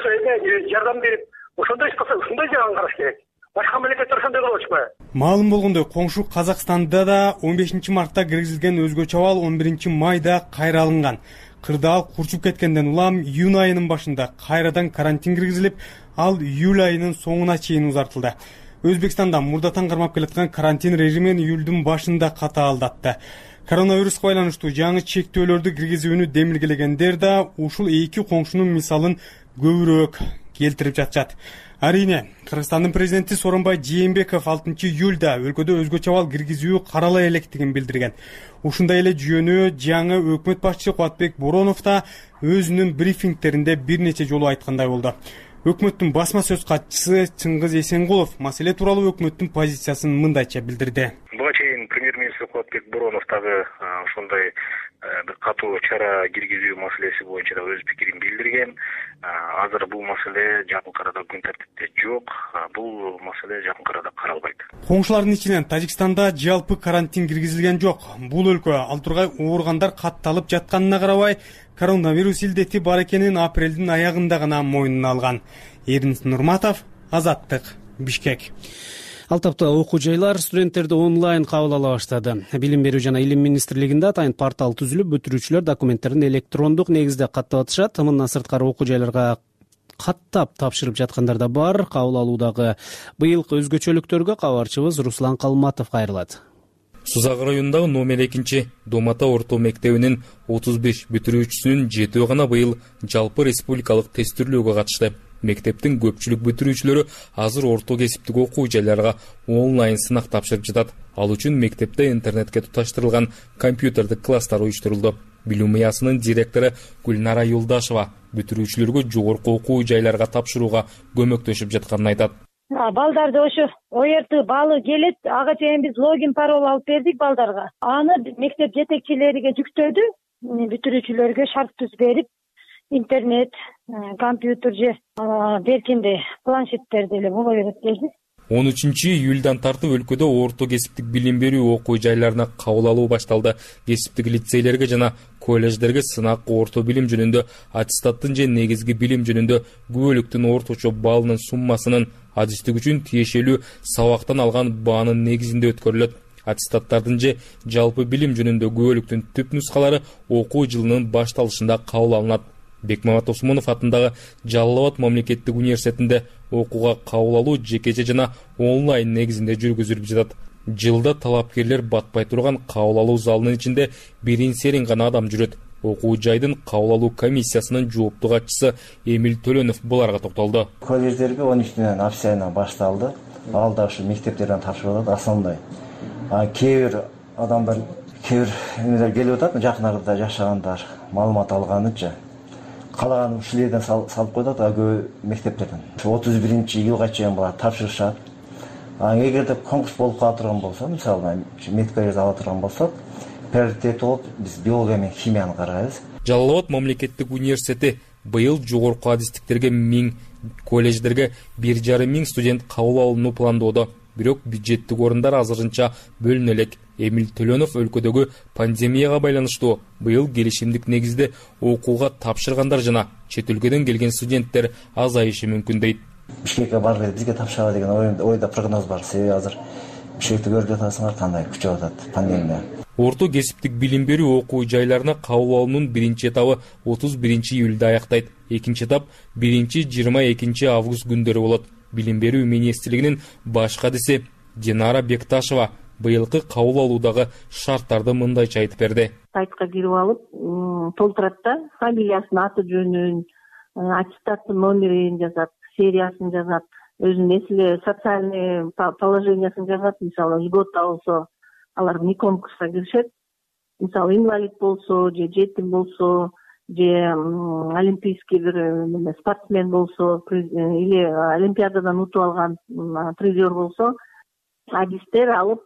жардам берип, ошондой иш кылса, ушундай жагын караш керек. Башка мамлекеттер ошондой кылып атышпайбы? Маалым болгондой, коңшу Казакстанда да он бешинчи мартта киргизилген өзгөчө абал он биринчи майда кайра алынган. кырдаал курчуп кеткенден улам июнь айынын башында кайрадан карантин киргизилип, ал июль айынын соңуна чейин узартылды. Өзбекстанда мурдатан кармап келаткан карантин режимин июлдун башында катаалдатты. Коронавируска байланыштуу жаңы чектөөлөрдү киргизүүнү демилгелегендер да ушул эки коңшунун мисалын көбүрөөк келтирип жатышат. Арине, Кыргызстандын президенти Сооронбай Жээнбеков алтынчы июлда өлкөдө өзгөчө абал киргизүү карала электигин билдирген. Ушундай эле жүйөнү жаңы өкмөт башчысы Кубатбек Боронов да өзүнүн брифингтеринде бир нече жолу айткандай болду. Өкмөттүн басма сөз катчысы Чыңгыз Эсенгулов маселе тууралуу өкмөттүн позициясын мындайча билдирди. Буга чейин премьер-министр Кубатбек Боронов дагы ошондой бир катуу чара киргизүү маселеси боюнча да өз пикирин билдирген. Азыр бул маселе жакын арада күн тартипте жок. Бул маселе жакын арада каралбайт. Коңшулардын ичинен Тажикстанда жалпы карантин киргизилген жок. Бул өлкө ал тургай ооругандар катталып жатканына карабай, коронавирус илдети бар экенин апрелдин аягында гана мойнуна алган. Эрдин Нурматов, Азаттык, Бишкек. Ал тапта окуу жайлар студенттерди онлайн кабыл ала баштады. Билим берүү жана илим министрлигинде атайын портал түзүлүп, бүтүрүүчүлөр документтерин электрондук негизде каттап атышат. Мындан сырткары окуу жайларга каттап тапшырып жаткандар да бар. Кабыл алуудагы быйылкы өзгөчөлүктөргө кабарчыбыз Руслан Калматов кайрылат. Сузак районундагы номер экинчи Домата орто мектебинин отуз беш бүтүрүүчүсүнүн жетөө гана быйыл жалпы республикалык тестирлөөгө катышты. Мектептин көпчүлүк бүтүрүүчүлөрү азыр орто кесиптик окуу жайларга онлайн сынак тапшырып жатат. Ал үчүн мектепте интернетке туташтырылган компьютердик класстар уюштурулду. Билим ыясынын директору Гүлнара Юлдашева бүтүрүүчүлөргө жогорку окуу жайларга тапшырууга көмөктөшүп жатканын айтат. Балдарды ошо о эр тэ баалы келет, ага чейин биз логин пароль алып бердик балдарга. Аны мектеп жетекчилериге жүктөдү, бүтүрүүчүлөргө шарт түз берип, интернет, компьютер же беркинде планшеттерди эле буга берет деди. он үчүнчү июлдан тартып өлкөдө орто кесиптик билим берүү окуу жайларына кабыл алуу башталды. Кесиптик лицейлерге жана колледждерге сынак орто билим жөнүндө, аттестаттын же негизги билим жөнүндө күбөлүктүн орточо баллынын суммасынын адистик үчүн тиешелүү сабактан алган баанын негизинде өткөрүлөт. Аттестаттардын же жалпы билим жөнүндө күбөлүктүн түп нускалары окуу жылынын башталышында кабыл алынат. Бекмамат Осмонов атындагы Жалал Абад мамлекеттик университетинде окууга кабыл алуу жекече жана онлайн негизинде жүргүзүлүп жатат. Жылда талапкерлер батпай турган кабыл алуу залынын ичинде бирин серин гана адам жүрөт. Окуу жайдын кабыл алуу комиссиясынын жооптуу катчысы Эмил Төлөнов буларга токтолду. Колледждерге он үчүнөн апрель башталды. Ал да ушу мектептерден тапшырылат основной. А кээ бир адамдар, кээ бир келип атат, жакын арада жашагандар, маалымат алганыча калаган ушулерден салып коет атат, көп мектептерден. отуз биринчи июлга чейин булар тапшырышат. А эгерде конкурс болуп кала турган болсо, мисалы медколлеж ала турган болсок, приоритет болуп биз биология менен химияны карайбыз. Жалал Абад мамлекеттик университети быйыл жогорку адистиктерге миң, колледждерге бир жарым миң студент кабыл алууну пландоодо. Бирок бюджеттик орундар азырынча бөлүнө элек. Эмил Төлөнов өлкөдөгү пандемияга байланыштуу быйыл келишимдик негизде окууга тапшыргандар жана чет өлкөдөн келген студенттер азайышы мүмкүн дейт. Бишкекке барып бизге тапшыралы деген ойда прогноз бар. Себеби азыр Бишкекти көрүп жатасыңар кандай күчөп атат пандемия. Орто кесиптик билим берүү окуу жайларына кабыл алуунун биринчи этабы отуз биринчи июлда аяктайт. Экинчи этап биринчи жыйырма экинчи август күндөрү болот. Билим берүү министрлигинин баш кадиси Динара Бекташева быйылкы кабыл алуудагы шарттарды мындайча айтып берди. Сайтка кирип алып, толтурат да, фамилиясын, аты жөнүн, аттестаттын номерин жазат, сериясын жазат, өзүнүн эсиле социальный положениясын жазат. Мисалы, льгота болсо, алар вне конкурска киришет. Мисалы, инвалид болсо, же жетим болсо, же олимпийский бир спортсмен болсо, или олимпиададан утуп алган призер болсо, адистер алып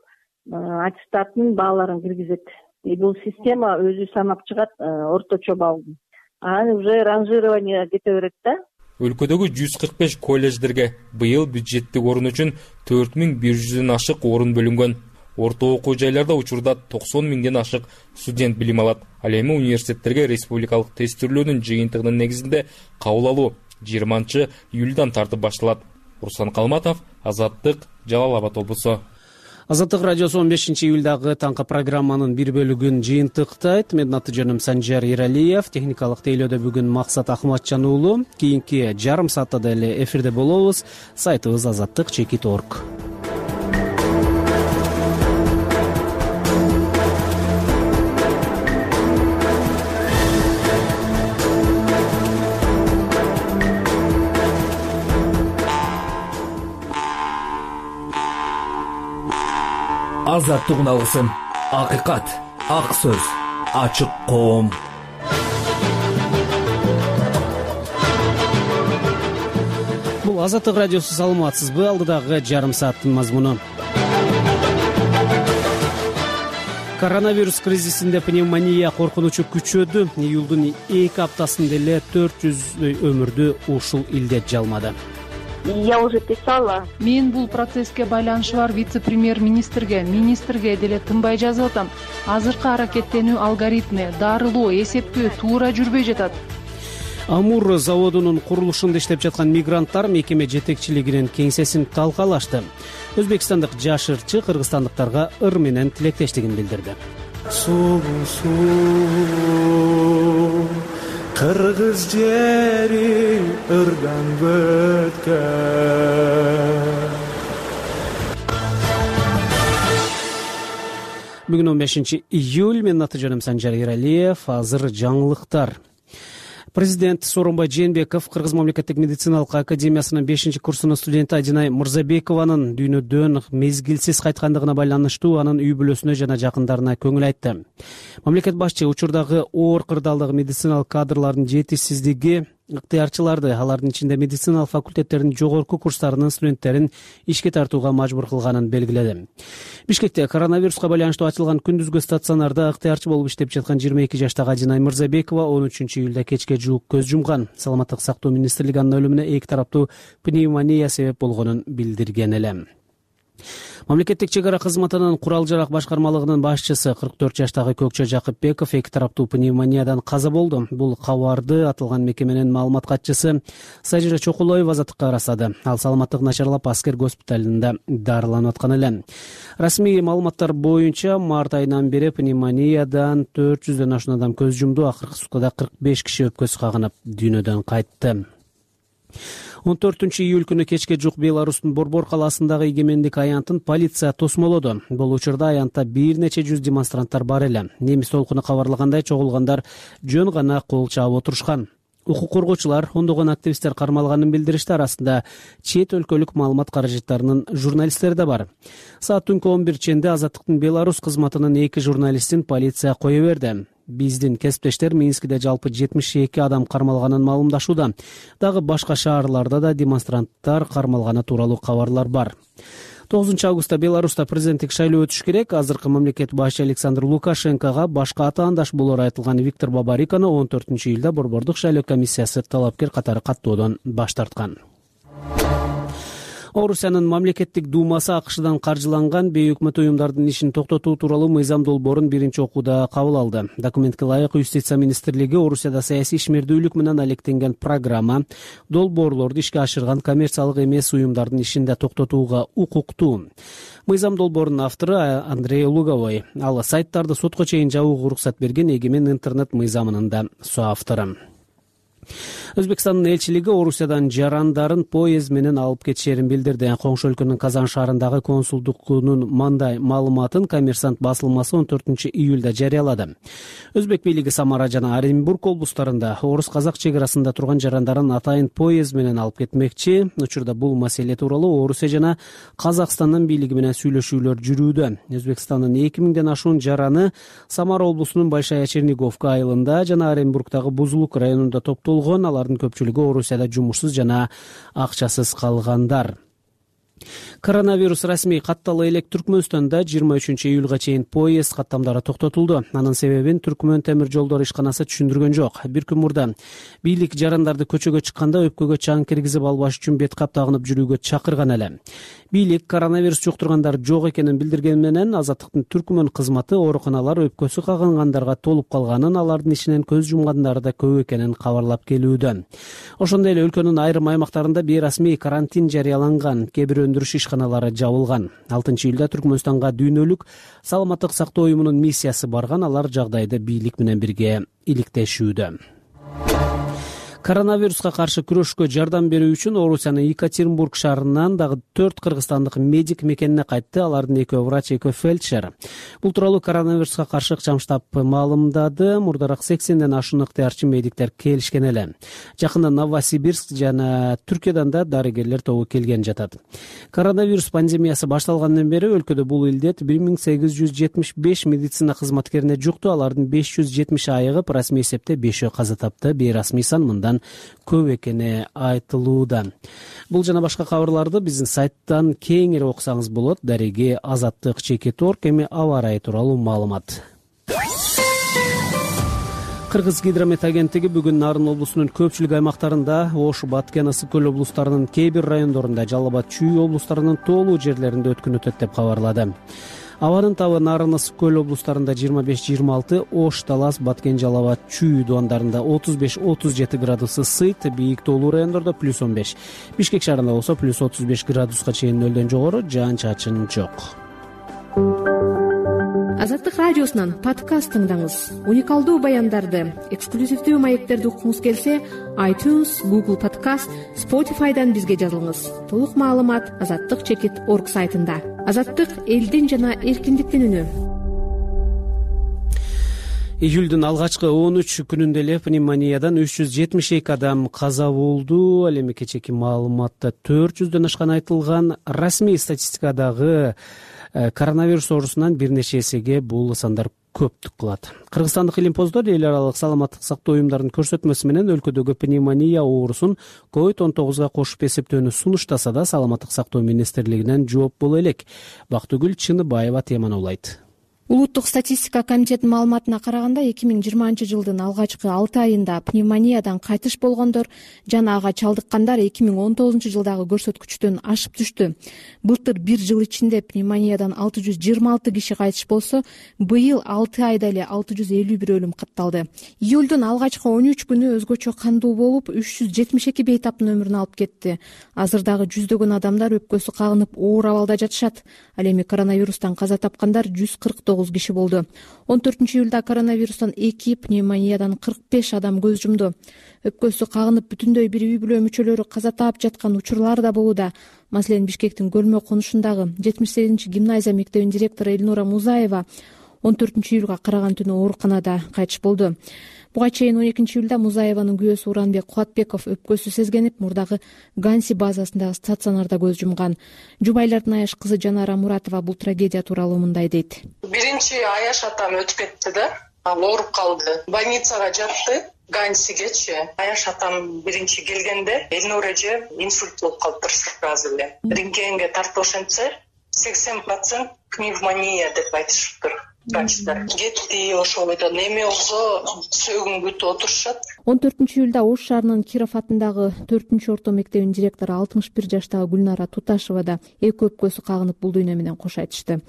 аттестаттын бааларын киргизет. Бул система өзү санап чыгат орточо баллды. Анан уже ранжирование кете берет да. Өлкөдөгү жүз кырк беш колледждерге быйыл бюджеттик орун үчүн төрт миң бир жүздөн ашык орун бөлүнгөн. Орто окуу жайларда учурда токсон миңден ашык студент билим алат. Ал эми университеттерге республикалык тестирлөөнүн жыйынтыгынын негизинде кабыл алуу жыйырманчы июлдан тартып башталат. Руслан Калматов, Азаттык, Жалал Абад облусу. Азаттык радиосу он бешинчи июлдагы таңкы программанын бир бөлүгүн жыйынтыктайт. Менин аты жөнүм Санжар Эралиев. Техникалык тейлөөдө бүгүн Максат Акматжан уулу. Кийинки жарым саатта деле эфирде болобуз. Сайтыбыз азаттык чекит орг. Азаттык үналгысын, акыйкат, ак сөз, ачык коом. Бул Азаттык радиосу, саламатсызбы? Алдыдагы жарым сааттын мазмуну. Коронавирус кризисинде пневмония коркунучу күчөдү. Июлдун эки аптасында эле төрт жүздөй өмүрдү ушул илдет жалмады. Я уже писала. Мен бул процесске байланышы бар вице-премьер-министрге, министрге деле тынбай жазып атам. Азыркы аракеттенүү алгоритми, дарылоо, эсептөө туура жүрбөй жатат. Амур заводунун курулушунда иштеп жаткан мигранттар мекеме жетекчилигинин кеңсесин талкалашты. Өзбекстандык жаш ырчы кыргызстандыктарга ыр менен тилектештигин билдирди. Кыргыз жери ырдан өткөн. Бүгүн он бешинчи июль. Менин аты жөнүм Санжар Эралиев. Азыр жаңылыктар. Президент Сооронбай Жээнбеков Кыргыз мамлекеттик медициналык академиясынын бешинчи курсунун студенти Адинай Мырзабекованын дүйнөдөн мезгилсиз кайткандыгына байланыштуу анын үй бүлөсүнө жана жакындарына көңүл айтты. Мамлекет башчы учурдагы оор кырдаалдагы медициналык кадрлардын жетишсиздиги, ыктыярчыларды, алардын ичинде медициналык факультеттердин жогорку курстарынын студенттерин ишке тартууга мажбур кылганын белгиледи. Бишкекте коронавируска байланыштуу ачылган күндүзгү стационарда ыктыярчы болуп иштеп жаткан жыйырма эки жаштагы Адинай Мырзабекова он үчүнчү июлда кечке жуук көз жумган. Саламаттык сактоо министрлиги анын өлүмүнө эки тараптуу пневмония себеп болгонун билдирген эле. Мамлекеттик чек ара кызматынын курал жарак башкармалыгынын башчысы кырк төрт жаштагы Көкчө Жакыпбеков эки тараптуу пневмониядан каза болду. Бул кабарды аталган мекеменин маалымат катчысы Сажира Чокулоева азаттыкка ырастады. Ал саламаттык начарлап аскер госпиталында дарыланып аткан эле. Расмий маалыматтар боюнча март айынан бери пневмониядан төрт жүздөн ашуун адам көз жумду. Акыркы суткада кырк беш киши өпкөсү кагынып дүйнөдөн кайтты. он төртүнчү июль күнү кечке жук Беларустун Борбор калаасындагы эгемендик аянтын полиция тосмолоду. Бул учурда аянтта бир нече жүз демонстранттар бар эле. Немис толкуну кабарлагандай чогулгандар жөн гана кол чаап отурушкан. Укук коргоочулар, ондогон активисттер кармалганын билдиришти. Арасында чет өлкөлүк маалымат каражаттарынын журналисттери да бар. Саат түнкү он бир ченде Азаттыктын Беларусь кызматынын эки журналистин полиция кое берди. Биздин кесиптештер Минскиде жалпы жетимиш эки адам кармалганын маалымдашууда. Дагы башка шаарларда да демонстранттар кармалганы тууралуу кабарлар бар. тогузунчу августта Беларуста президенттик шайлоо өтүш керек. Азыркы мамлекет башчы Александр Лукашенкого башка атаандаш болоору айтылган Виктор Бабариканы он төртүнчү июлда Борбордук шайлоо комиссиясы талапкер катары каттоодон баш тарткан. Орусиянын мамлекеттик думасы АКШдан каржыланган бейөкмөт уюмдардын ишин токтотуу тууралуу мыйзам долбоорун биринчи окууда кабыл алды. Документке ылайык Юстиция министрлиги Орусияда саясий ишмердүүлүк менен алектенген программа долбоорлорду ишке ашырган коммерциялык эмес уюмдардын ишин да токтотууга укуктуу. Мыйзам долбоорунун автору Андрей Луговой. Ал сайттарды сотко чейин жабууга уруксат берген эгемен интернет мыйзамынын да соавтору. Өзбекстандын элчилиги Орусиядан жарандарын поезд менен алып кетишерин билдирди. Коңшу өлкөнүн Казан шаарындагы консулдугунун мындай маалыматын Коммерсант басылмасы он төртүнчү июлда жарыялады. Өзбек бийлиги Самара жана Оренбург облустарында орус-казак чек арасында турган жарандарын атайын поезд менен алып кетмекчи. Учурда бул маселе тууралуу Орусия жана Казакстандын бийлиги менен сүйлөшүүлөр жүрүүдө. Өзбекстандын эки миңден ашуун жараны Самара облусунун Большая Черниговка айылында жана Оренбургдагы Бузулук районунда топтолгон. Алардын көпчүлүгү Орусияда жумушсуз жана акчасыз калгандар. Коронавирус расмий катталы элек Түркмөнстанда жыйырма үчүнчү июлга чейин поезд каттамдары токтотулду. Анын себебин Түркмөн темир жолдор ишканасы түшүндүргөн жок. Бир күн мурда бийлик жарандарды көчөгө чыкканда өпкөгө чаң киргизип албаш үчүн бет кап тагынып жүрүүгө чакырган эле. Бийлик коронавирус жуктургандар жок экенин билдирген менен Азаттыктын Түркмөн кызматы ооруканалар өпкөсү кагангандарга толуп калганын, алардын ичинен көз жумгандар да көп экенин кабарлап келүүдө. Ошондой эле өлкөнүн айрым аймактарында бейрасмий карантин жарыяланган. Кээ бир өндүрүш ишканалары жабылган. алтынчы июлда Түркмөнстанга дүйнөлүк саламаттык сактоо уюмунун миссиясы барган. Алар жагдайды бийлик менен бирге иликтешүүдө. Коронавируска каршы күрөшкө жардам берүү үчүн Орусиянын Екатеринбург шаарынан дагы төрт кыргызстандык медик мекенине кайтты. Алардын экөө врач, экөө фельдшер. Бул тууралуу коронавируска каршы ыкчам штаб маалымдады. Мурдараак сексенден ашуун ыктыярчы медиктер келишкен эле. Жакында Новосибирск жана Түркиядан да дарыгерлер тобу келген жатат. Коронавирус пандемиясы башталгандан бери өлкөдө бул илдет бир миң сегиз жүз жетимиш беш медицина кызматкерине жукту. Алардын беш жүз жетимиши айыгып, расмий эсепте бешөө каза тапты. Бейрасмий сан мындан көп экени айтылууда. Бул жана башка кабарларды биздин сайттан кеңири окусаңыз болот. Дареги Азаттык Чекит орг. Эми аба ырайы тууралуу маалымат. Кыргыз гидромет агенттиги бүгүн Нарын облусунун көпчүлүк аймактарында, Ош, Баткен, Ысык көл облустарынын кээ бир райондорунда, Жалал Абад, Чүй облустарынын тоолуу жерлеринде өткөн өтөт деп кабарлады. Абанын табы Нарын, Ысык көл облустарында жыйырма беш жыйырма алты, Ош, Талас, Баткен, Жалал Абад, Чүй дубандарында отуз беш отуз жети градус ысыйт, бийик тоолуу райондордо плюс он беш. Бишкек шаарында болсо плюс отуз беш градуска чейин нөлдөн жогору, жаан-чачын жок. Азаттык радиосунан подкаст тыңдаңыз. Уникалдуу баяндарды, эксклюзивдүү маектерди уккуңуз келсе, iTunes, Google Podcast, Spotify'дан бизге жазылыңыз. Толук маалымат азаттык чекит орг сайтында. Азаттык элдин жана эркиндиктин үнү. Июлдун алгачкы он үч күнүндө эле пневмониядан үч жүз жетимиш эки адам каза болду. Ал эми кечээки маалыматта төрт жүздөн ашкан айтылган. Расмий статистикадагы коронавирус оорусунан бир нече эсеге бул сандар көптүк кылат. Кыргызстандык илимпоздор эл аралык саламаттык сактоо уюмдарынын көрсөтмөсү менен өлкөдөгү пневмония оорусун ковид он тогузга кошуп эсептөөнү сунуштаса да, саламаттык сактоо министрлигинен жооп боло элек. Бактыгүл Чыныбаева теманы улайт. Улуттук статистика комитетинин маалыматына караганда, эки миң жыйырманчы жылдын алгачкы алты айында пневмониядан кайтыш болгондор жана ага чалдыккандар эки миң он тогузунчу жылдагы көрсөткүчтөн ашып түштү. Былтыр бир жыл ичинде пневмониядан алты жүз жыйырма алты киши кайтыш болсо, быйыл алты айда эле алты жүз элүү бир өлүм катталды. Июлдун алгачкы он үч күнү өзгөчө кандуу болуп, үч жүз жетимиш эки бейтаптын өмүрүн алып кетти. Азыр дагы жүздөгөн адамдар өпкөсү кагынып оор абалда жатышат. Ал эми коронавирустан каза тапкандар жүз кырк тогуз киши болду. он төртүнчү июлда коронавирустан эки, пневмониядан кырк беш адам көз жумду. Өпкөсү кагынып бүтүндөй бир үй бүлө мүчөлөрү каза таап жаткан учурлар да болууда. Маселен, Бишкектин Көлмө конушундагы жетимиш сегизинчи гимназия мектебинин директору Элнура Музаева он төртүнчү июлга караган түнү ооруканада кайтыш болду. Буга чейин он экинчи июлда Музаеванын күйөөсү Уранбек Кубатбеков өпкөсү сезгенип, мурдагы Ганси базасындагы стационарда көз жумган. Жубайлардын Аяш кызы Жанара Муратова бул трагедия тууралуу мындай дейт. Биринчи Аяш атам өтүп кетти да, ал ооруп калды. Больницага жатты. Гансигечи. Аяш атам биринчи келгенде Элнура эже инсульт болуп калыптыр сразу эле. Рентгенге тартып ошентсе, сексен процент пневмония деп айтышыптыр. Врачтар кетти, ошол бойдон эме болсо сөөгүн күтүп отурушат. он төртүнчү июлда Ош шаарынын Киров атындагы төртүнчү орто мектебинин директору алтымыш бир жаштагы Гүлнара Туташева да эки өпкөсү кагынып бул дүйнө менен кош айтышты.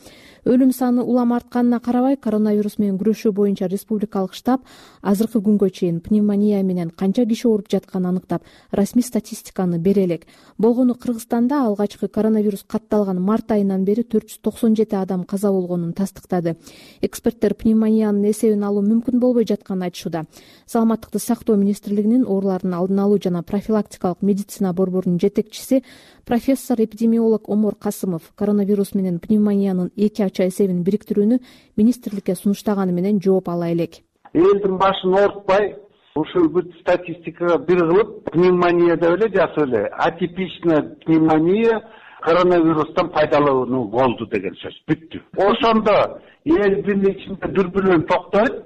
Өлүм саны улам артканына карабай, коронавирус менен күрөшүү боюнча республикалык штаб азыркы күнгө чейин пневмония менен канча киши ооруп жатканын аныктап, расмий статистиканы бере элек. Болгону Кыргызстанда алгачкы коронавирус катталган март айынан бери төрт жүз токсон жети адам каза болгонун тастыктады. Эксперттер пневмониянын эсебин алуу мүмкүн болбой жатканын айтышууда. Саламаттыкты сактоо министрлигинин оорулардын алдын алуу жана профилактикалык медицина борборунун жетекчиси профессор эпидемиолог Омор Касымов коронавирус менен пневмониянын эки ача эсебин бириктирүүнү министрликке сунуштаганы менен жооп ала элек. Элдин башын оорутпай, ушул бүт статистикага бир кылып, пневмония деп эле жазып эле, атипичная пневмония коронавирустан пайдалануу болду деген сөз. Бүттү. Ошондо элдин ичинде дүрбүлөөн токтойт.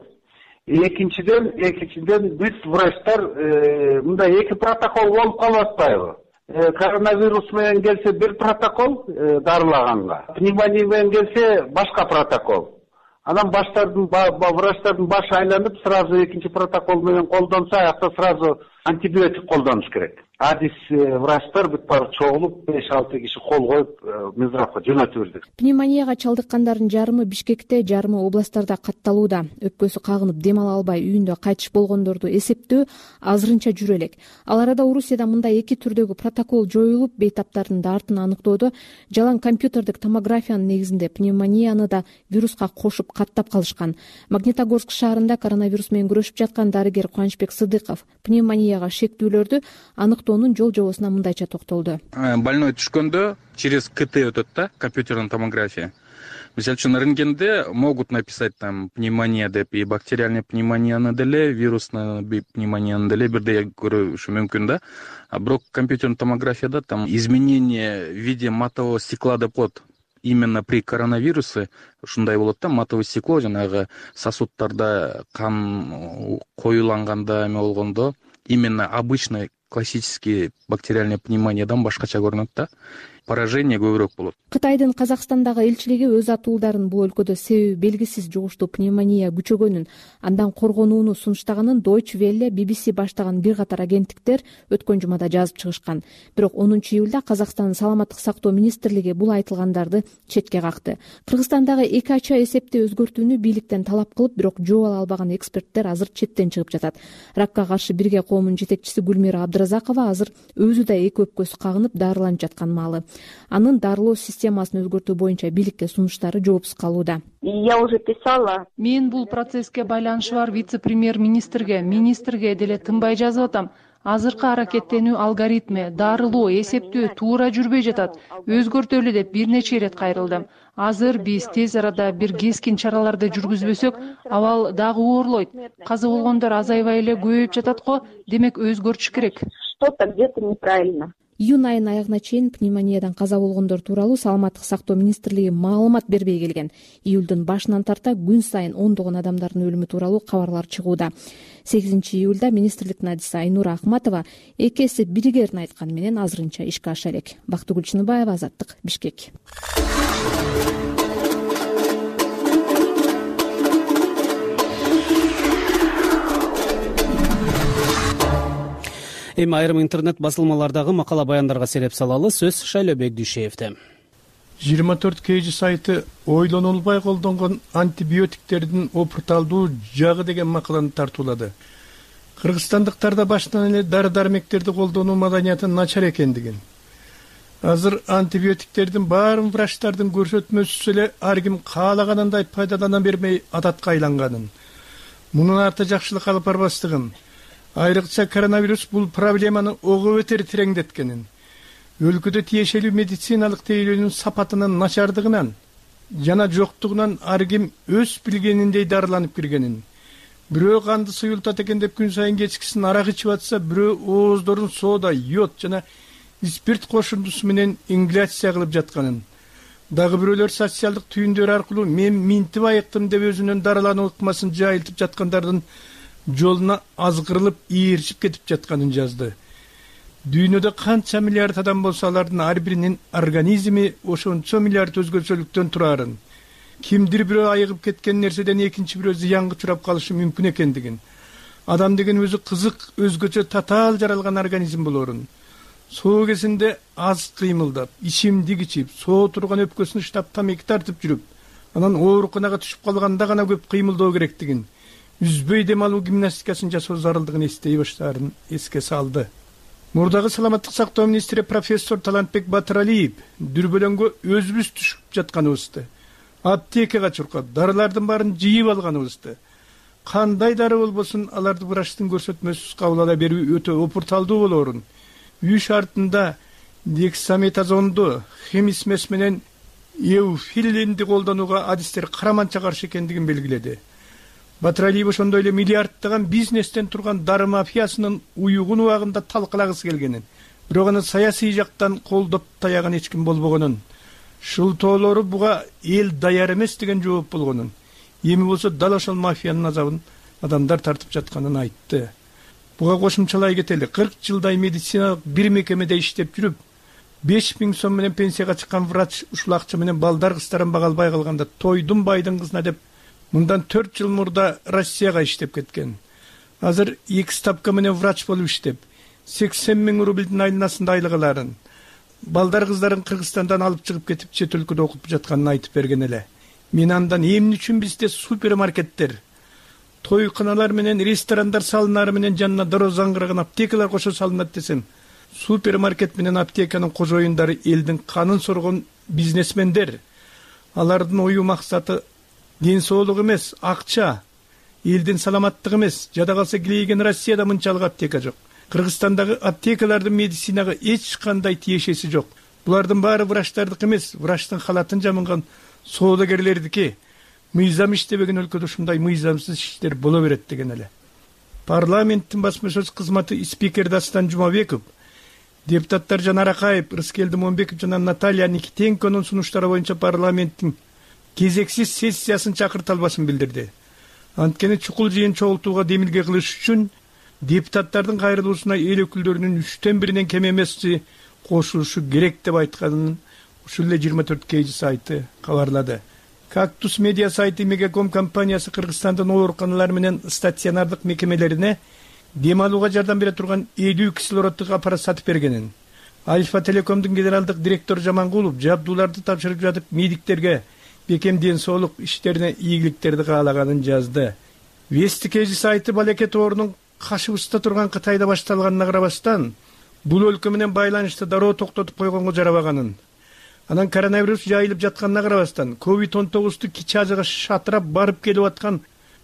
Экинчиден, экинчиден биз врачтар мындай эки протокол болуп калып атпайбы? Коронавирус менен келсе бир протокол дарылаганга, пневмония менен келсе башка протокол. Анан баштардын врачтардын башы айланып, сразу экинчи протокол менен колдонсо, аякта сразу антибиотик колдонуш керек. адис врачтар бүт баары чогулуп беш алты киши кол коюп мизрапка жөнөтүп бердик. Пневмонияга чалдыккандардын жарымы Бишкекте, жарымы областтарда катталууда. Өпкөсү кагынып дем ала албай үйүндө кайтыш болгондорду эсептөө азырынча жүрө элек. Ал арада Орусияда мындай эки түрдөгү протокол жоюлуп, бейтаптардын дартын аныктоодо жалаң компьютердик томографиянын негизинде пневмонияны да вируска кошуп каттап калышкан. Магнитогорск шаарында коронавирус менен күрөшүп жаткан дарыгер Кубанычбек Сыдыков пневмонияга шектүүлөрдү аныктоонун жол жобосуна мындайча токтолду. Больной түшкөндө через КТ өтөт да, компьютерная томография. Мисалы үчүн рентгенде могут написать там пневмония деп, и бактериальный пневмонияны деле, вирусный пневмонияны деле бирдей көрүшү мүмкүн да. А бирок компьютерный томографияда там изменение в виде матового стекла деп коет. Именно при коронавирусе ушундай болот да, матовое стекло жанагы сосудтарда кан коюланганда эме болгондо именно обычный классический бактериальный пневмониядан башкача көрүнөт да. Поражение көбүрөөк болот. Кытайдын Казакстандагы элчилиги өз атуулдарын бул өлкөдө себеби белгисиз жугуштуу пневмония күчөгөнүн, андан коргонууну сунуштаганын Deutsche Welle, би би си баштаган бир катар агенттиктер өткөн жумада жазып чыгышкан. Бирок онунчу июлда Казакстандын саламаттык сактоо министрлиги бул айтылгандарды четке какты. Кыргызстандагы эки ача эсепти өзгөртүүнү бийликтен талап кылып, бирок жоо ала албаган эксперттер азыр четтен чыгып жатат. Ракка каршы бирге коомунун жетекчиси Гүлмира Абдыразакова азыр өзү да эки өпкөсү кагынып дарыланып жаткан маалы. Анын дарылоо системасын өзгөртүү боюнча бийликке сунуштары жоопсуз калууда. Я уже писала. Мен бул процесске байланышы бар вице-премьер-министрге, министрге деле тынбай жазып атам. Азыркы аракеттенүү алгоритми, дарылоо, эсептөө туура жүрбөй жатат. Өзгөртөлү деп бир нече ирет кайрылдым. Азыр биз тез арада бир кескин чараларды жүргүзбөсөк, абал дагы оорлойт. Каза болгондор азайбай эле көбөйүп жатат го, демек өзгөртүш керек. Что-то где-то неправильно. Июнь айынын аягына чейин пневмониядан каза болгондор тууралуу саламаттык сактоо министрлиги маалымат бербей келген. Июлдун башынан тарта күн сайын ондогон адамдардын өлүмү тууралуу кабарлар чыгууда. сегизинчи июлда министрликтин адиси Айнура Акматова эки эсеп биригерин айтканы менен азырынча ишке аша элек. Бактыгүл Чыныбаева, Азаттык, Бишкек. Эми айрым интернет басылмалардагы макала баяндарга сереп салалы. Сөз Шайлообек Дүйшеевде. жыйырма төрт кей жи сайты ойлонулбай колдонгон антибиотиктердин опурталдуу жагы деген макаланы тартуулады. Кыргызстандыктарда баштан эле дары дармектерди колдонуу маданияты начар экендигин, азыр антибиотиктердин баарын врачтардын көрсөтмөсүз эле ар ким каалаганындай пайдалана бермей адатка айланганын, мунун арты жакшылык алып барбастыгын, айрыкча коронавирус бул проблеманы ого бетер тереңдеткенин, өлкөдө тиешелүү медициналык тейлөөнүн сапатынын начардыгынан жана жоктугунан ар ким өз билгениндей дарыланып киргенин, бирөө канды суюлтат экен деп күн сайын кечкисин арак ичип атса, бирөө ооздорун соода, йод жана спирт кошумдусу менен ингаляция кылып жатканын, дагы бирөөлөр социалдык түйүндөр аркылуу мен минтип айыктым деп өзүнүн дарылануу ыкмасын жайылтып жаткандардын жолуна азгырылып ээрчип кетип жатканын жазды. Дүйнөдө канча миллиард адам болсо, алардын ар биринин организми ошончо миллиард өзгөчөлүктөн турарын, кимдир бирөө айыгып кеткен нерседен экинчи бирөө зыянга учурап калышы мүмкүн экендигин, адам деген өзү кызык, өзгөчө татаал жаралган организм болорун, соо кезинде аз кыймылдап, ичимдик ичип, соо турган өпкөсүн ыштап тамеки тартып жүрүп, анан ооруканага түшүп калганда гана көп кыймылдоо керектигин, үзбөй дем алуу гимнастикасын жасоо зарылдыгын эстей баштаарын эске салды. Мурдагы саламаттык сактоо министри профессор Талантбек Батыралиев дүрбөлөңгө өзүбүз түшүп жатканыбызды, аптекага чуркап, дарылардын баарын жыйып алганыбызды, кандай дары болбосун аларды врачтын көрсөтмөсүз кабыл ала берүү өтө опурталдуу болорун, үй шартында дексаметазонду, хемисмес менен эуфилинди колдонууга адистер караманча каршы экендигин белгиледи. Батыралиев ошондой эле миллиарддаган бизнестен турган дары мафиясынын уюгун убагында талкалагысы келгенин, бирок аны саясий жактан колдоп таяган эч ким болбогонун, шылтоолору буга эл даяр эмес деген жооп болгонун, эми болсо дал ошол мафиянын азабын адамдар тартып жатканын айтты. Буга кошумчалай кетели, кырк жылдай медициналык бир мекемеде иштеп жүрүп, беш миң сом менен пенсияга чыккан врач ушул акча менен балдар кыздарын бага албай калганда тойдун байдын кызына деп мындан төрт жыл мурда Россияга иштеп кеткен. Азыр эки ставка менен врач болуп иштеп, сексен миң рублдин айланасында айлык аларын, балдар кыздарын Кыргызстандан алып чыгып кетип чет өлкөдө окуп жатканын айтып берген эле. Мен андан эмне үчүн бизде супермаркеттер, тойканалар менен ресторандар салынары менен жанына дароо заңгыраган аптекалар кошо салынат десем, супермаркет менен аптеканын кожоюндары элдин канын соргон бизнесмендер. Алардын ою максаты ден соолук эмес, акча, элдин саламаттыгы эмес. Жада калса килейген Россияда мынчалык аптека жок. Кыргызстандагы аптекалардын медицинага эч кандай тиешеси жок. Булардын баары врачтардык эмес, врачтын халатын жамынган соодагерлердики. Мыйзам иштебеген өлкөдө ушундай мыйзамсыз иштер боло берет деген эле. Парламенттин басма сөз кызматы спикер Дастан Жумабеков, депутаттар Жанар Акаев, Рыскелди Момбеков жана Наталья Никитенконун сунуштары боюнча парламенттин кезексиз сессиясын чакырта албашын билдирди. Анткени чукул жыйын чогултууга демилге кылыш үчүн депутаттардын кайрылуусуна эл өкүлдөрүнүн үчтөн биринен кем эмеси кошулушу керек деп айтканын ушул эле жыйырма төрт кей жи сайты кабарлады. Кактус медиа сайты Мегаком компаниясы Кыргызстандын ооруканалары менен стационардык мекемелерине дем алууга жардам бере турган элүү кислороддук аппарат сатып бергенин, Альфа Телекомдун генералдык директору Жамангулов жабдууларды тапшырып жатып медиктерге бекем ден соолук иштерине ийгиликтерди каалаганын жазды. Вести кей жи сайты балекет оорунун кашыбызда турган Кытайда башталганына карабастан, бул өлкө менен байланышты дароо токтотуп койгонго жарабаганын, анан коронавирус жайылып жатканына карабастан ковид он тогузду кичи ажыга шатырап барып келип аткан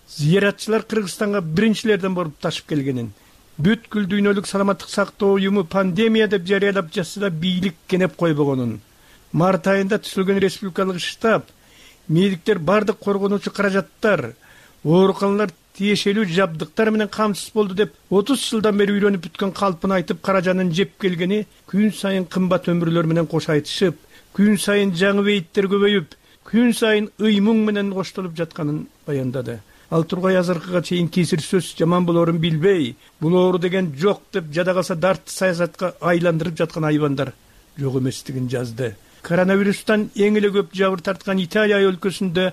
зыяратчылар Кыргызстанга биринчилерден болуп ташып келгенин, бүткүл дүйнөлүк саламаттык сактоо уюму пандемия деп жарыялап жатса да бийлик кенеп койбогонун, март айында түзүлгөн республикалык штаб медиктер бардык коргонуучу каражаттар, ооруканалар тиешелүү жабдыктар менен камсыз болду деп отуз жылдан бери үйрөнүп бүткөн калпын айтып каражанын жеп келгени күн сайын кымбат өмүрлөр менен кош айтышып, күн сайын жаңы бейиттер көбөйүп, күн сайын ыймуң менен коштолуп жатканын баяндады. Ал тургай азыркыга чейин кесир сөз жаман болоорун билбей, бул оору деген жок деп жада калса дартты саясатка айландырып жаткан айбандар жок эместигин жазды. Коронавирустан эң эле көп жабыр тарткан Италия өлкөсүндө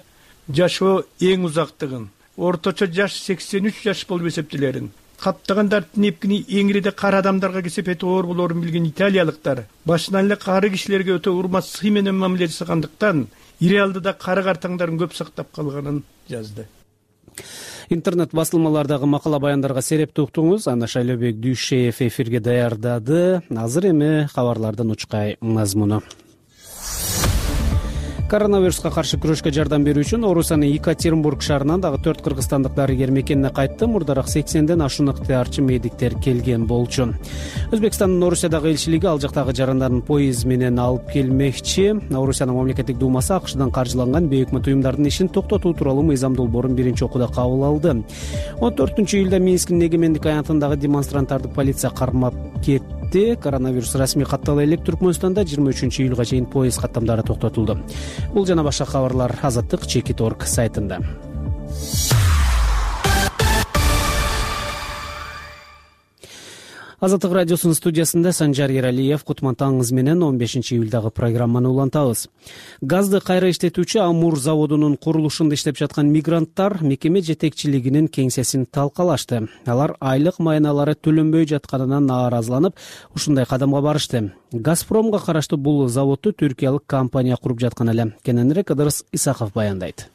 жашоо эң узактыгын, орточо жаш сексен үч жаш болуп эсептелерин, каптаган дарттын эпкини эң ириде кара адамдарга кесепети оор болоорун билген италиялыктар башынан эле кары кишилерге өтө урмат сый менен мамиле жасагандыктан ири алдыда кары картаңдарын көп сактап калганын жазды. Интернет басылмалардагы макала баяндарга серепти уктуңуз. Ана Шайлообек Дүйшеев эфирге даярдады. Азыр эми кабарлардын учкай мазмуну. Коронавируска каршы күрөшкө жардам берүү үчүн Орусиянын Екатеринбург шаарынан дагы төрт кыргызстандык дарыгер мекенине кайтты. Мурдараак сексенден ашуун ыктыярчы медиктер келген болчу. Өзбекстандын Орусиядагы элчилиги ал жактагы жарандарын поезд менен алып келмекчи. Орусиянын мамлекеттик думасы АКШдан каржыланган бейөкмөт уюмдардын ишин токтотуу тууралуу мыйзам долбоорун биринчи окууда кабыл алды. он төртүнчү июлда Минскинин эгемендик аянтындагы демонстранттарды полиция кармап кетти. Коронавирус расмий каттала элек Түркмөнстанда жыйырма үчүнчү июлга чейин поезд каттамдары токтотулду. Бул жана башка кабарлар Азаттык Чекит точка орг сайтында. Азаттык радиосунун студиясында Санжар Ералиев. Кутман таңыңыз менен он бешинчи июлдагы программаны улантабыз. Газды кайра иштетүүчү Амур заводунун курулушунда иштеп жаткан мигранттар мекеме жетекчилигинин кеңсесин талкалашты. Алар айлык майналары төлөнбөй жатканынан нааразыланып, ушундай кадамга барышты. Газпромго караштуу бул заводду түркиялык компания куруп жаткан эле. Кененирээк Ыдырыс Исаков баяндайт.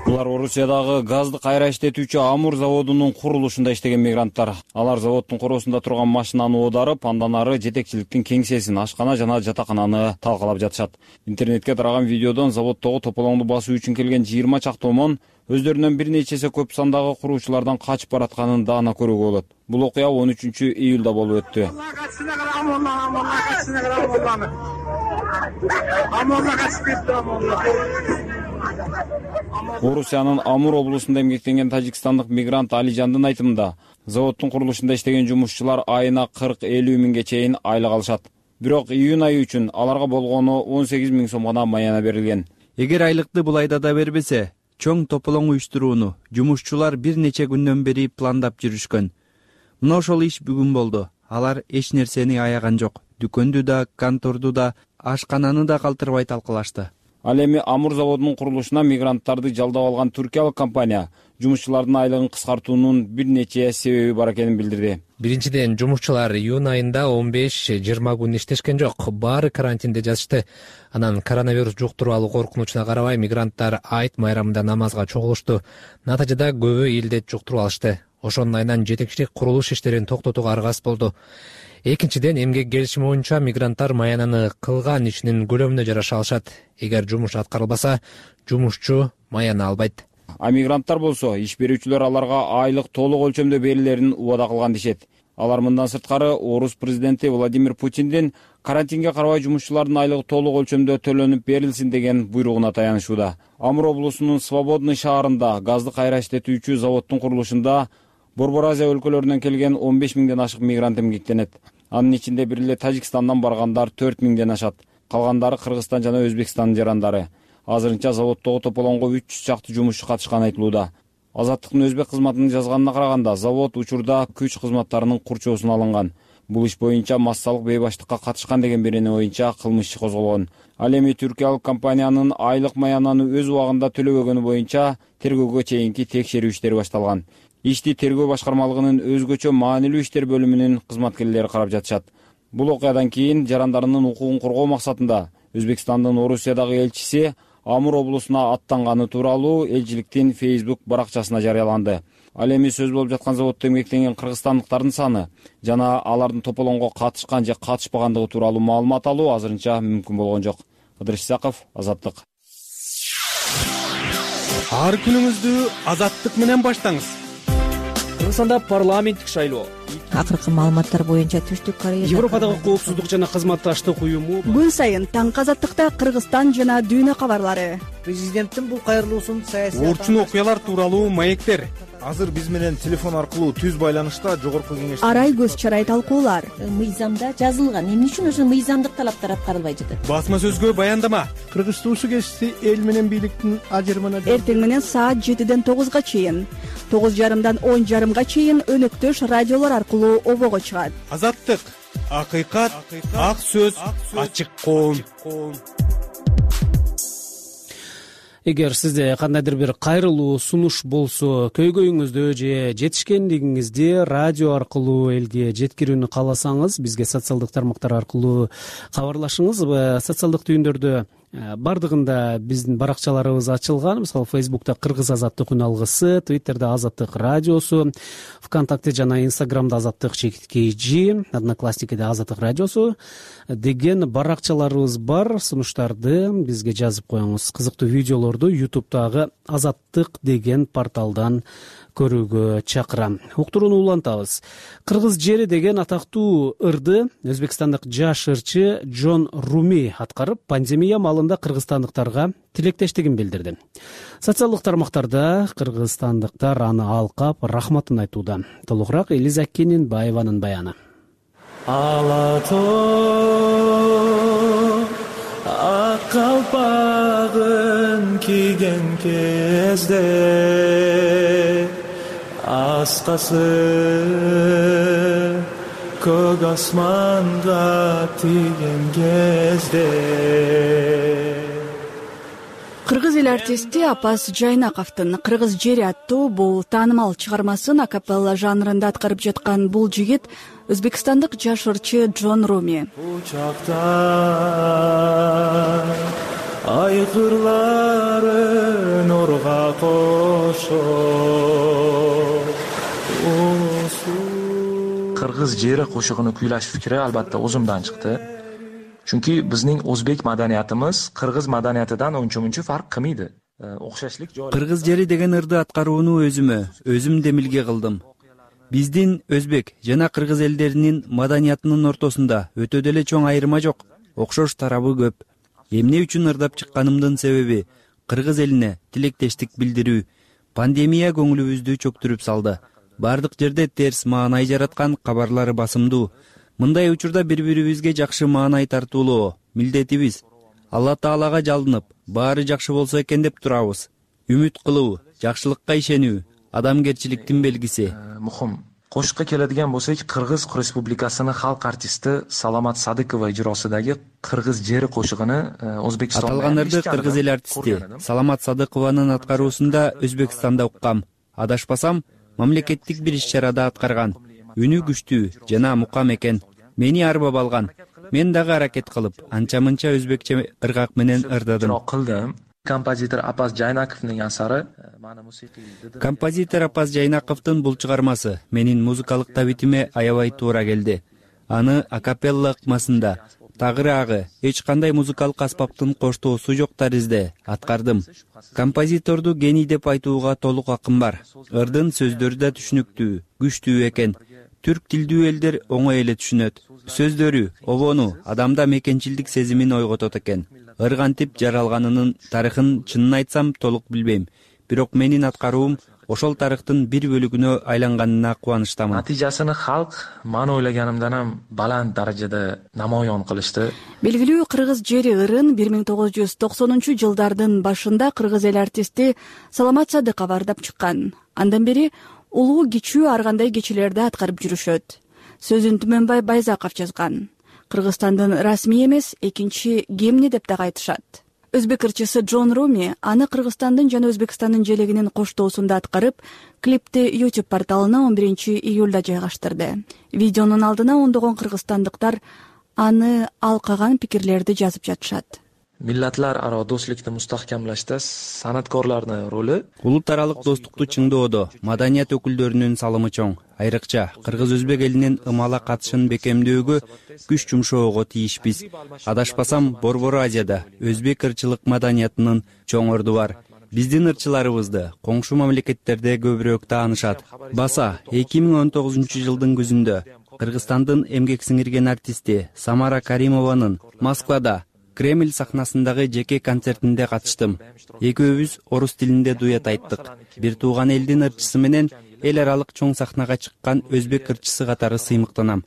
Булар Орусиядагы газды кайра иштетүүчү Амур заводунун курулушунда иштеген мигранттар. Алар заводдун короосунда турган машинаны оодарып, андан ары жетекчиликтин кеңсесин, ашкана жана жатакананы талкалап жатышат. Интернетке тараган видеодон заводдогу тополоңду басуу үчүн келген жыйырма чакты омон өздөрүнөн бир нече эсе көп сандагы куруучулардан качып баратканын даана көрүүгө болот. Бул окуя он үчүнчү июлда болуп өттү. Орусиянын Амур облусунда эмгектенген тажикстандык мигрант Алижандын айтымында, заводдун курулушунда иштеген жумушчулар айына кырк элүү миңге чейин айлык алышат. Бирок июнь айы үчүн аларга болгону он сегиз миң сом гана маяна берилген. Эгер айлыкты бул айда да бербесе, чоң тополоң уюштурууну жумушчулар бир нече күндөн бери пландап жүрүшкөн. Мына ошол иш бүгүн болду. Алар эч нерсени аяган жок. Дүкөндү да, конторду да, ашкананы да калтырбай талкалашты. Ал эми Амур заводунун курулушуна мигранттарды жалдап алган туркиялык компания жумушчулардын айлыгын кыскартуунун бир нече себеби бар экенин билдирди. Биринчиден, жумушчулар июнь айында он беш жыйырма күн иштешкен жок, баары карантинде жатышты. Анан коронавирус жуктуруп коркунучуна карабай мигранттар айт майрамында намазга чогулушту. Натыйжада көбү илдет жуктуруп алышты. Ошонун айынан жетекчилик курулуш иштерин токтотууга аргасыз болду. Экинчиден, эмгек келишими боюнча мигранттар маянаны кылган ишинин көлөмүнө жараша алышат. Эгер жумуш аткарылбаса, жумушчу маяны албайт. А мигранттар болсо иш берүүчүлөр аларга айлык толук өлчөмдө берилерин убада кылган дешет. Алар мындан сырткары орус президенти Владимир Путиндин карантинге карабай жумушчулардын айлыгы толук өлчөмдө төлөнүп берилсин деген буйругуна таянышууда. Амур облусунун Свободный шаарында газды кайра иштетүүчү заводдун курулушунда Борбор Азия өлкөлөрүнөн келген он беш миңден ашык мигрант эмгектенет. Анын ичинде бир эле Тажикстандан баргандар төрт миңден ашат. Калгандары Кыргызстан жана Өзбекстандын жарандары. Азырынча заводдогу тополоңго үч жүз чакты жумушчу катышканы айтылууда. Азаттыктын өзбек кызматынын жазганына караганда, завод учурда күч кызматтарынын курчоосуна алынган. Бул иш боюнча массалык бейбаштыкка катышкан деген берени боюнча кылмыш иши козголгон. Ал эми түркиялык компаниянын айлык маянаны өз убагында төлөбөгөнү боюнча тергөөгө чейинки текшерүү иштери башталган. Ишти тергөө башкармалыгынын өзгөчө маанилүү иштер бөлүмүнүн кызматкерлери карап жатышат. Бул окуядан кийин жарандарынын укугун коргоо максатында Өзбекстандын Орусиядагы элчиси Амур облусуна аттанганы тууралуу элчиликтин Facebook баракчасына жарыяланды. Ал эми сөз болуп жаткан заводдо эмгектенген кыргызстандыктардын саны жана алардын тополоңго катышкан же катышпагандыгы тууралуу маалымат алуу азырынча мүмкүн болгон жок. Кыдыр Исаков, Азаттык. Ар күнүңүздү Азаттык менен баштаңыз. Кыргызстанда парламенттик шайлоо. Акыркы маалыматтар боюнча Түштүк Кореяда Европадагы коопсуздук жана кызматташтык уюму күн сайын таңкы Азаттыкта Кыргызстан жана дүйнө кабарлары. Президенттин бул кайрылуусун саясий орчун окуялар тууралуу маектер. Азыр биз менен телефон аркылуу түз байланышта жогорку кеңеш Арай көз чарай талкуулар. Мыйзамда жазылган. Эмне үчүн ошо мыйзамдык талаптар аткарылбай жатат? Басма сөзгө баяндама. Кыргыз туусу кести эл менен бийликтин ажырымына Эртең менен саат жетиден тогузга чейин, тогуз жарымдан он жарымга чейин өнөктөш радиолор аркылуу обого чыгат. Азаттык, акыйкат, ак сөз, ачык коом. Эгер сизде кандайдыр бир кайрылуу сунуш болсо, көйгөйүңүздү же жетишкендигиңизди радио аркылуу элге жеткирүүнү кааласаңыз, бизге социалдык тармактар аркылуу кабарлашыңыз. Социалдык түйүндөрдө бардыгында биздин баракчаларыбыз ачылган. Мисалы Facebook'та Кыргыз Азаттык үн алгысы, Twitter'де Азаттык радиосу, ВКонтакте жана Инстаграмда Азаттык чекиткей жи, Одноклассникиде Азаттык радиосу деген баракчаларыбыз бар. Сунуштарды бизге жазып коюңуз. Кызыктуу видеолорду YouTube'дагы Азаттык деген порталдан көрүүгө чакырам. Уктурууну улантабыз. Кыргыз жери деген атактуу ырды өзбекстандык жаш ырчы Джон Руми аткарып, пандемия малында кыргызстандыктарга тилектештигин билдирди. Социалдык тармактарда кыргызстандыктар аны алкап, рахматын айтууда. Толугураак Элиза Кененбаеванын баяны. Ала тоо ак калпагын кийген кезде аскасы көк асманга тийген кезде. Кыргыз эл артисти Апас Жайнаковдун Кыргыз жери аттуу бул таанымал чыгармасын акапелла жанрында аткарып жаткан бул жигит өзбекстандык жаш ырчы Джон Руми. Учакта айкырлары нурга кошо. Кыргыз жери кошугуну куйлаш фикри албатта өзүмдөн чыкты. Чүнки биздин өзбек маданиятыбыз кыргыз маданиятынан ончо-мунча фарк кылмайт. Окшошлук жок. Кыргыз жери деген ырды аткарууну өзүмө, өзүм демилге кылдым. Биздин өзбек жана кыргыз элдеринин маданиятынын ортосунда өтө деле чоң айырма жок, окшош тарабы көп. Эмне үчүн ырдап чыкканымдын себеби кыргыз элине тилектештик билдирүү. Пандемия көңүлүбүздү чөктүрүп салды. Бардык жерде терс маанай жараткан кабарлары басымдуу. Мындай учурда бири-бирибизге жакшы маанай тартуулоо милдетибиз. Алла Таалага жалынып, баары жакшы болсо экен деп турабыз. Үмүт кылуу, жакшылыкка ишенүү адамгерчиликтин белгиси. Мухим кошукка келadigan bo'lsak, Qirg'iz Respublikasini xalq artisti Salomat Sadiqova ijrosidagi Qirg'iz jeri qo'shig'ini O'zbekistonda аталган ырды кыргыз эл артисти Саламат Садыкованын аткаруусунда Өзбекстанда уккам. Адашпасам, мамлекеттик бир иш-чарада аткарган. Үнү күчтүү жана мукам экен. Мени арбап алган. Мен дагы аракет кылып, анча-мынча өзбекче ыргак менен ырдадым. Композитор Апаз Жайнаковдун асары. Композитор Апаз Жайнаковдун бул чыгармасы менин музыкалык табитиме аябай туура келди. Аны акапелла ыкмасында, тагыраагы, эч кандай музыкалык аспаптын коштоосу жок таризде аткардым. Композиторду гений деп айтууга толук акым бар. Ырдын сөздөрү да түшүнүктүү, күчтүү экен. Түрк тилдүү элдер оңой эле түшүнөт. Сөздөрү, обону адамда мекенчилдик сезимин ойготот экен. Ыргантип жаралганынын тарыхын чынын айтсам толук билбейм. Бирок менин аткаруум ошол тарыхтын бир бөлүгүнө айланганына кубанычтамын. Натыйжасыны халк мен ойлоганымдан ham баланд даражада намоyon кылышты. Белгилүү кыргыз жери ырын бир миң тогуз жүз токсонунчу жылдардын башында кыргыз эл артисти Саламат Садыков ырдап чыккан. Андан бери улуу кичүү ар кандай кечилерди аткарып жүрүшөт. Сөзүн Түмөнбай Байзаков жазган. Кыргызстандын расмий эмес экинчи гимни деп дагы айтышат. Өзбек ырчысы Джон Руми аны Кыргызстандын жана Өзбекстандын желегинин коштоосунда аткарып, клипти YouTube порталына он биринчи июлда жайгаштырды. Видеонун алдына ондогон кыргызстандыктар аны алкаган пикирлерди жазып жатышат. Millatlar aro do'stlikni mustahkamlashda san'atkorlarning roli улут аралык достукту чыңдоодо маданият өкүлдөрүнүн салымы чоң. Айрыкча кыргыз өзбек элинин ымала катышын бекемдөөгө күч жумшоого тийишпиз. Адашпасам, Борбор Азияда өзбек ырчылык маданиятынын чоң орду бар. Биздин ырчыларыбызды коңшу мамлекеттерде көбүрөөк таанышат. Баса эки миң он тогузунчу жылдын күзүндө Кыргызстандын эмгек сиңирген артисти Самара Каримованын Москвада Кремль сахнасындагы жеке концертинде катыштым. Экөөбүз орус тилинде дуэт айттык. Бир тууган элдин ырчысы менен эл аралык чоң сахнага чыккан өзбек ырчысы катары сыймыктанам.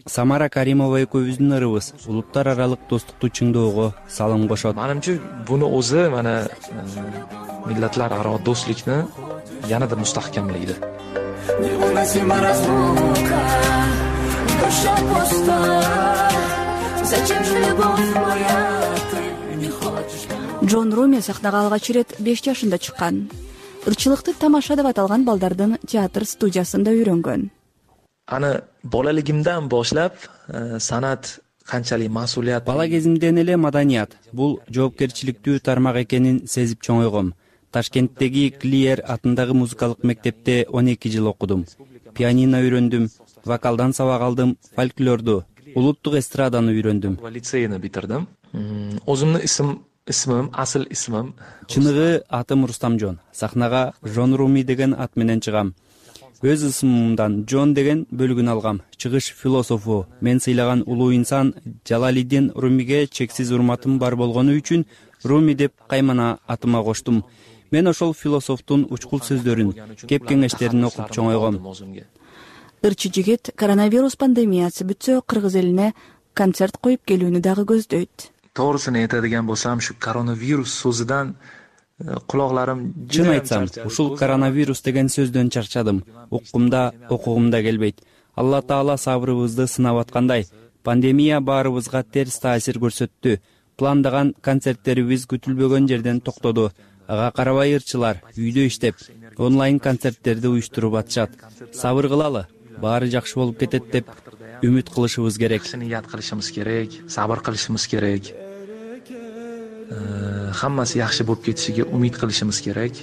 Самара Каримова экөөбүздүн ырыбыз улуттар аралык достукту чыңдоого салым кошот. Менимче буну o'zi mana millatlar aro do'stlikni yanada mustahkamlaydi. Джон Руми сахнага алгач ирет беш жашында чыккан. Ырчылыкты тамаша деп аталган балдардын театр студиясында үйрөнгөн. Аны bolaligimdan boshlab san'at qanchalik mas'uliyat. Бала кезимден эле маданият бул жоопкерчиликтүү тармак экенин сезип чоңойгом. Ташкенттеги Клиер атындагы музыкалык мектепте он эки жыл окудум. Пианино үйрөндүм, вокалдан сабак алдым, фольклорду, улуттук эстраданы үйрөндүм. Лицейни битирдим. Өзүмдүн исм исмим, асыл исмим. Чыныгы атым Рустамжон. Сахнага Жон Руми деген ат менен чыгам. Өз ысымымдан Джон деген бөлүгүн алгам. Чыгыш философу, мен сыйлаган улуу инсан Жалалиддин Румиге чексиз урматым бар болгону үчүн Руми деп каймана атыма коштум. Мен ошол философтун учкул сөздөрүн, кеп кеңештерин окуп чоңойгом. Ырчы жигит коронавирус пандемиясы бүтсө кыргыз элине концерт коюп келүүнү дагы көздөйт. To'g'risini aytadigan bo'lsam, shu koronavirus so'zidan quloqlarim чын айтсам, ушул коронавирус деген сөздөн чарчадым. Уккумда, окугумда келбейт. Алла Таала сабырыбызды сынап аткандай, пандемия баарыбызга терс таасир көрсөттү. Пландаган концерттерибиз күтүлбөгөн жерден токтоду. Ага карабай ырчылар үйдө иштеп, онлайн концерттерди уюштуруп атышат. Сабыр кылалы, баары жакшы болуп кетет деп үмүт кылышыбыз керек. Ният кылышыбыз керек, сабыр кылышыбыз керек. Hammasi yaxshi bo'lib ketishiga umid qilishimiz kerak.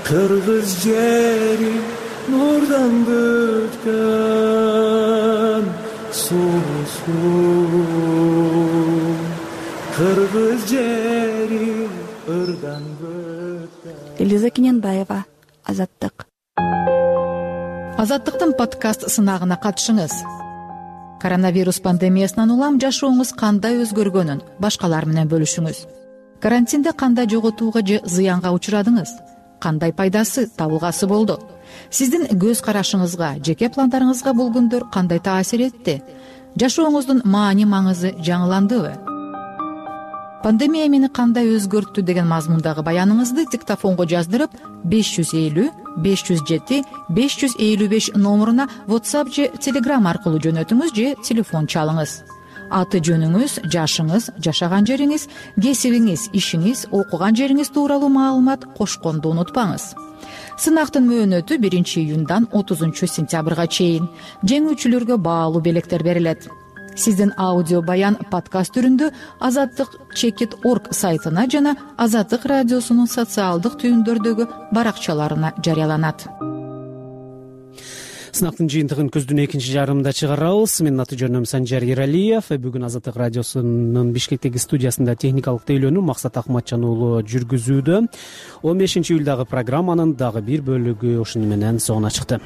Qirg'iz jeri nurdan butgan suv Qirg'iz jeri irdan butgan. Элиза Кененбаева, Азаттык. Азаттыктын подкаст сынагына катышыңыз. Коронавирус пандемиясынан улам жашооңуз кандай өзгөргөнүн башкалар менен бөлүшүңүз. Карантинде кандай жоготууга же зыянга учурадыңыз? Кандай пайдасы, табылгасы болду? Сиздин көз карашыңызга, жеке пландарыңызга бул күндөр кандай таасир этти? Жашооңуздун маани маңызы жаңыландыбы? пандемия мени кандай өзгөрттү деген мазмундагы баяныңызды диктофонго жаздырып беш жүз элүү беш жүз жети беш жүз элүү беш номуруна WhatsApp же Telegram аркылуу жөнөтүңүз же телефон чалыңыз. Аты жөнүңүз, жашыңыз, жашаган жериңиз, кесибиңиз, ишиңиз, окуган жериңиз тууралуу маалымат кошконду унутпаңыз. Сынактын мөөнөтү биринчи июндан отузунчу сентябрга чейин. Жеңүүчүлөргө баалуу белектер берилет. Сиздин аудио баян подкаст түрүндө азаттык чекит точка орг сайтына жана Азаттык радиосунун социалдык түйүндөрдөгү баракчаларына жарыяланат. Сынактын жыйынтыгын көздүн экинчи жарымында чыгарабыз. Менин аты жөнүм Санжар Эралиев. Бүгүн Азаттык радиосунун Бишкектеги студиясында техникалык тейлөөнү Максат Акматжан уулу жүргүзүүдө. он бешинчи июлдагы программанын дагы бир бөлүгү ушуну менен соңуна чыкты.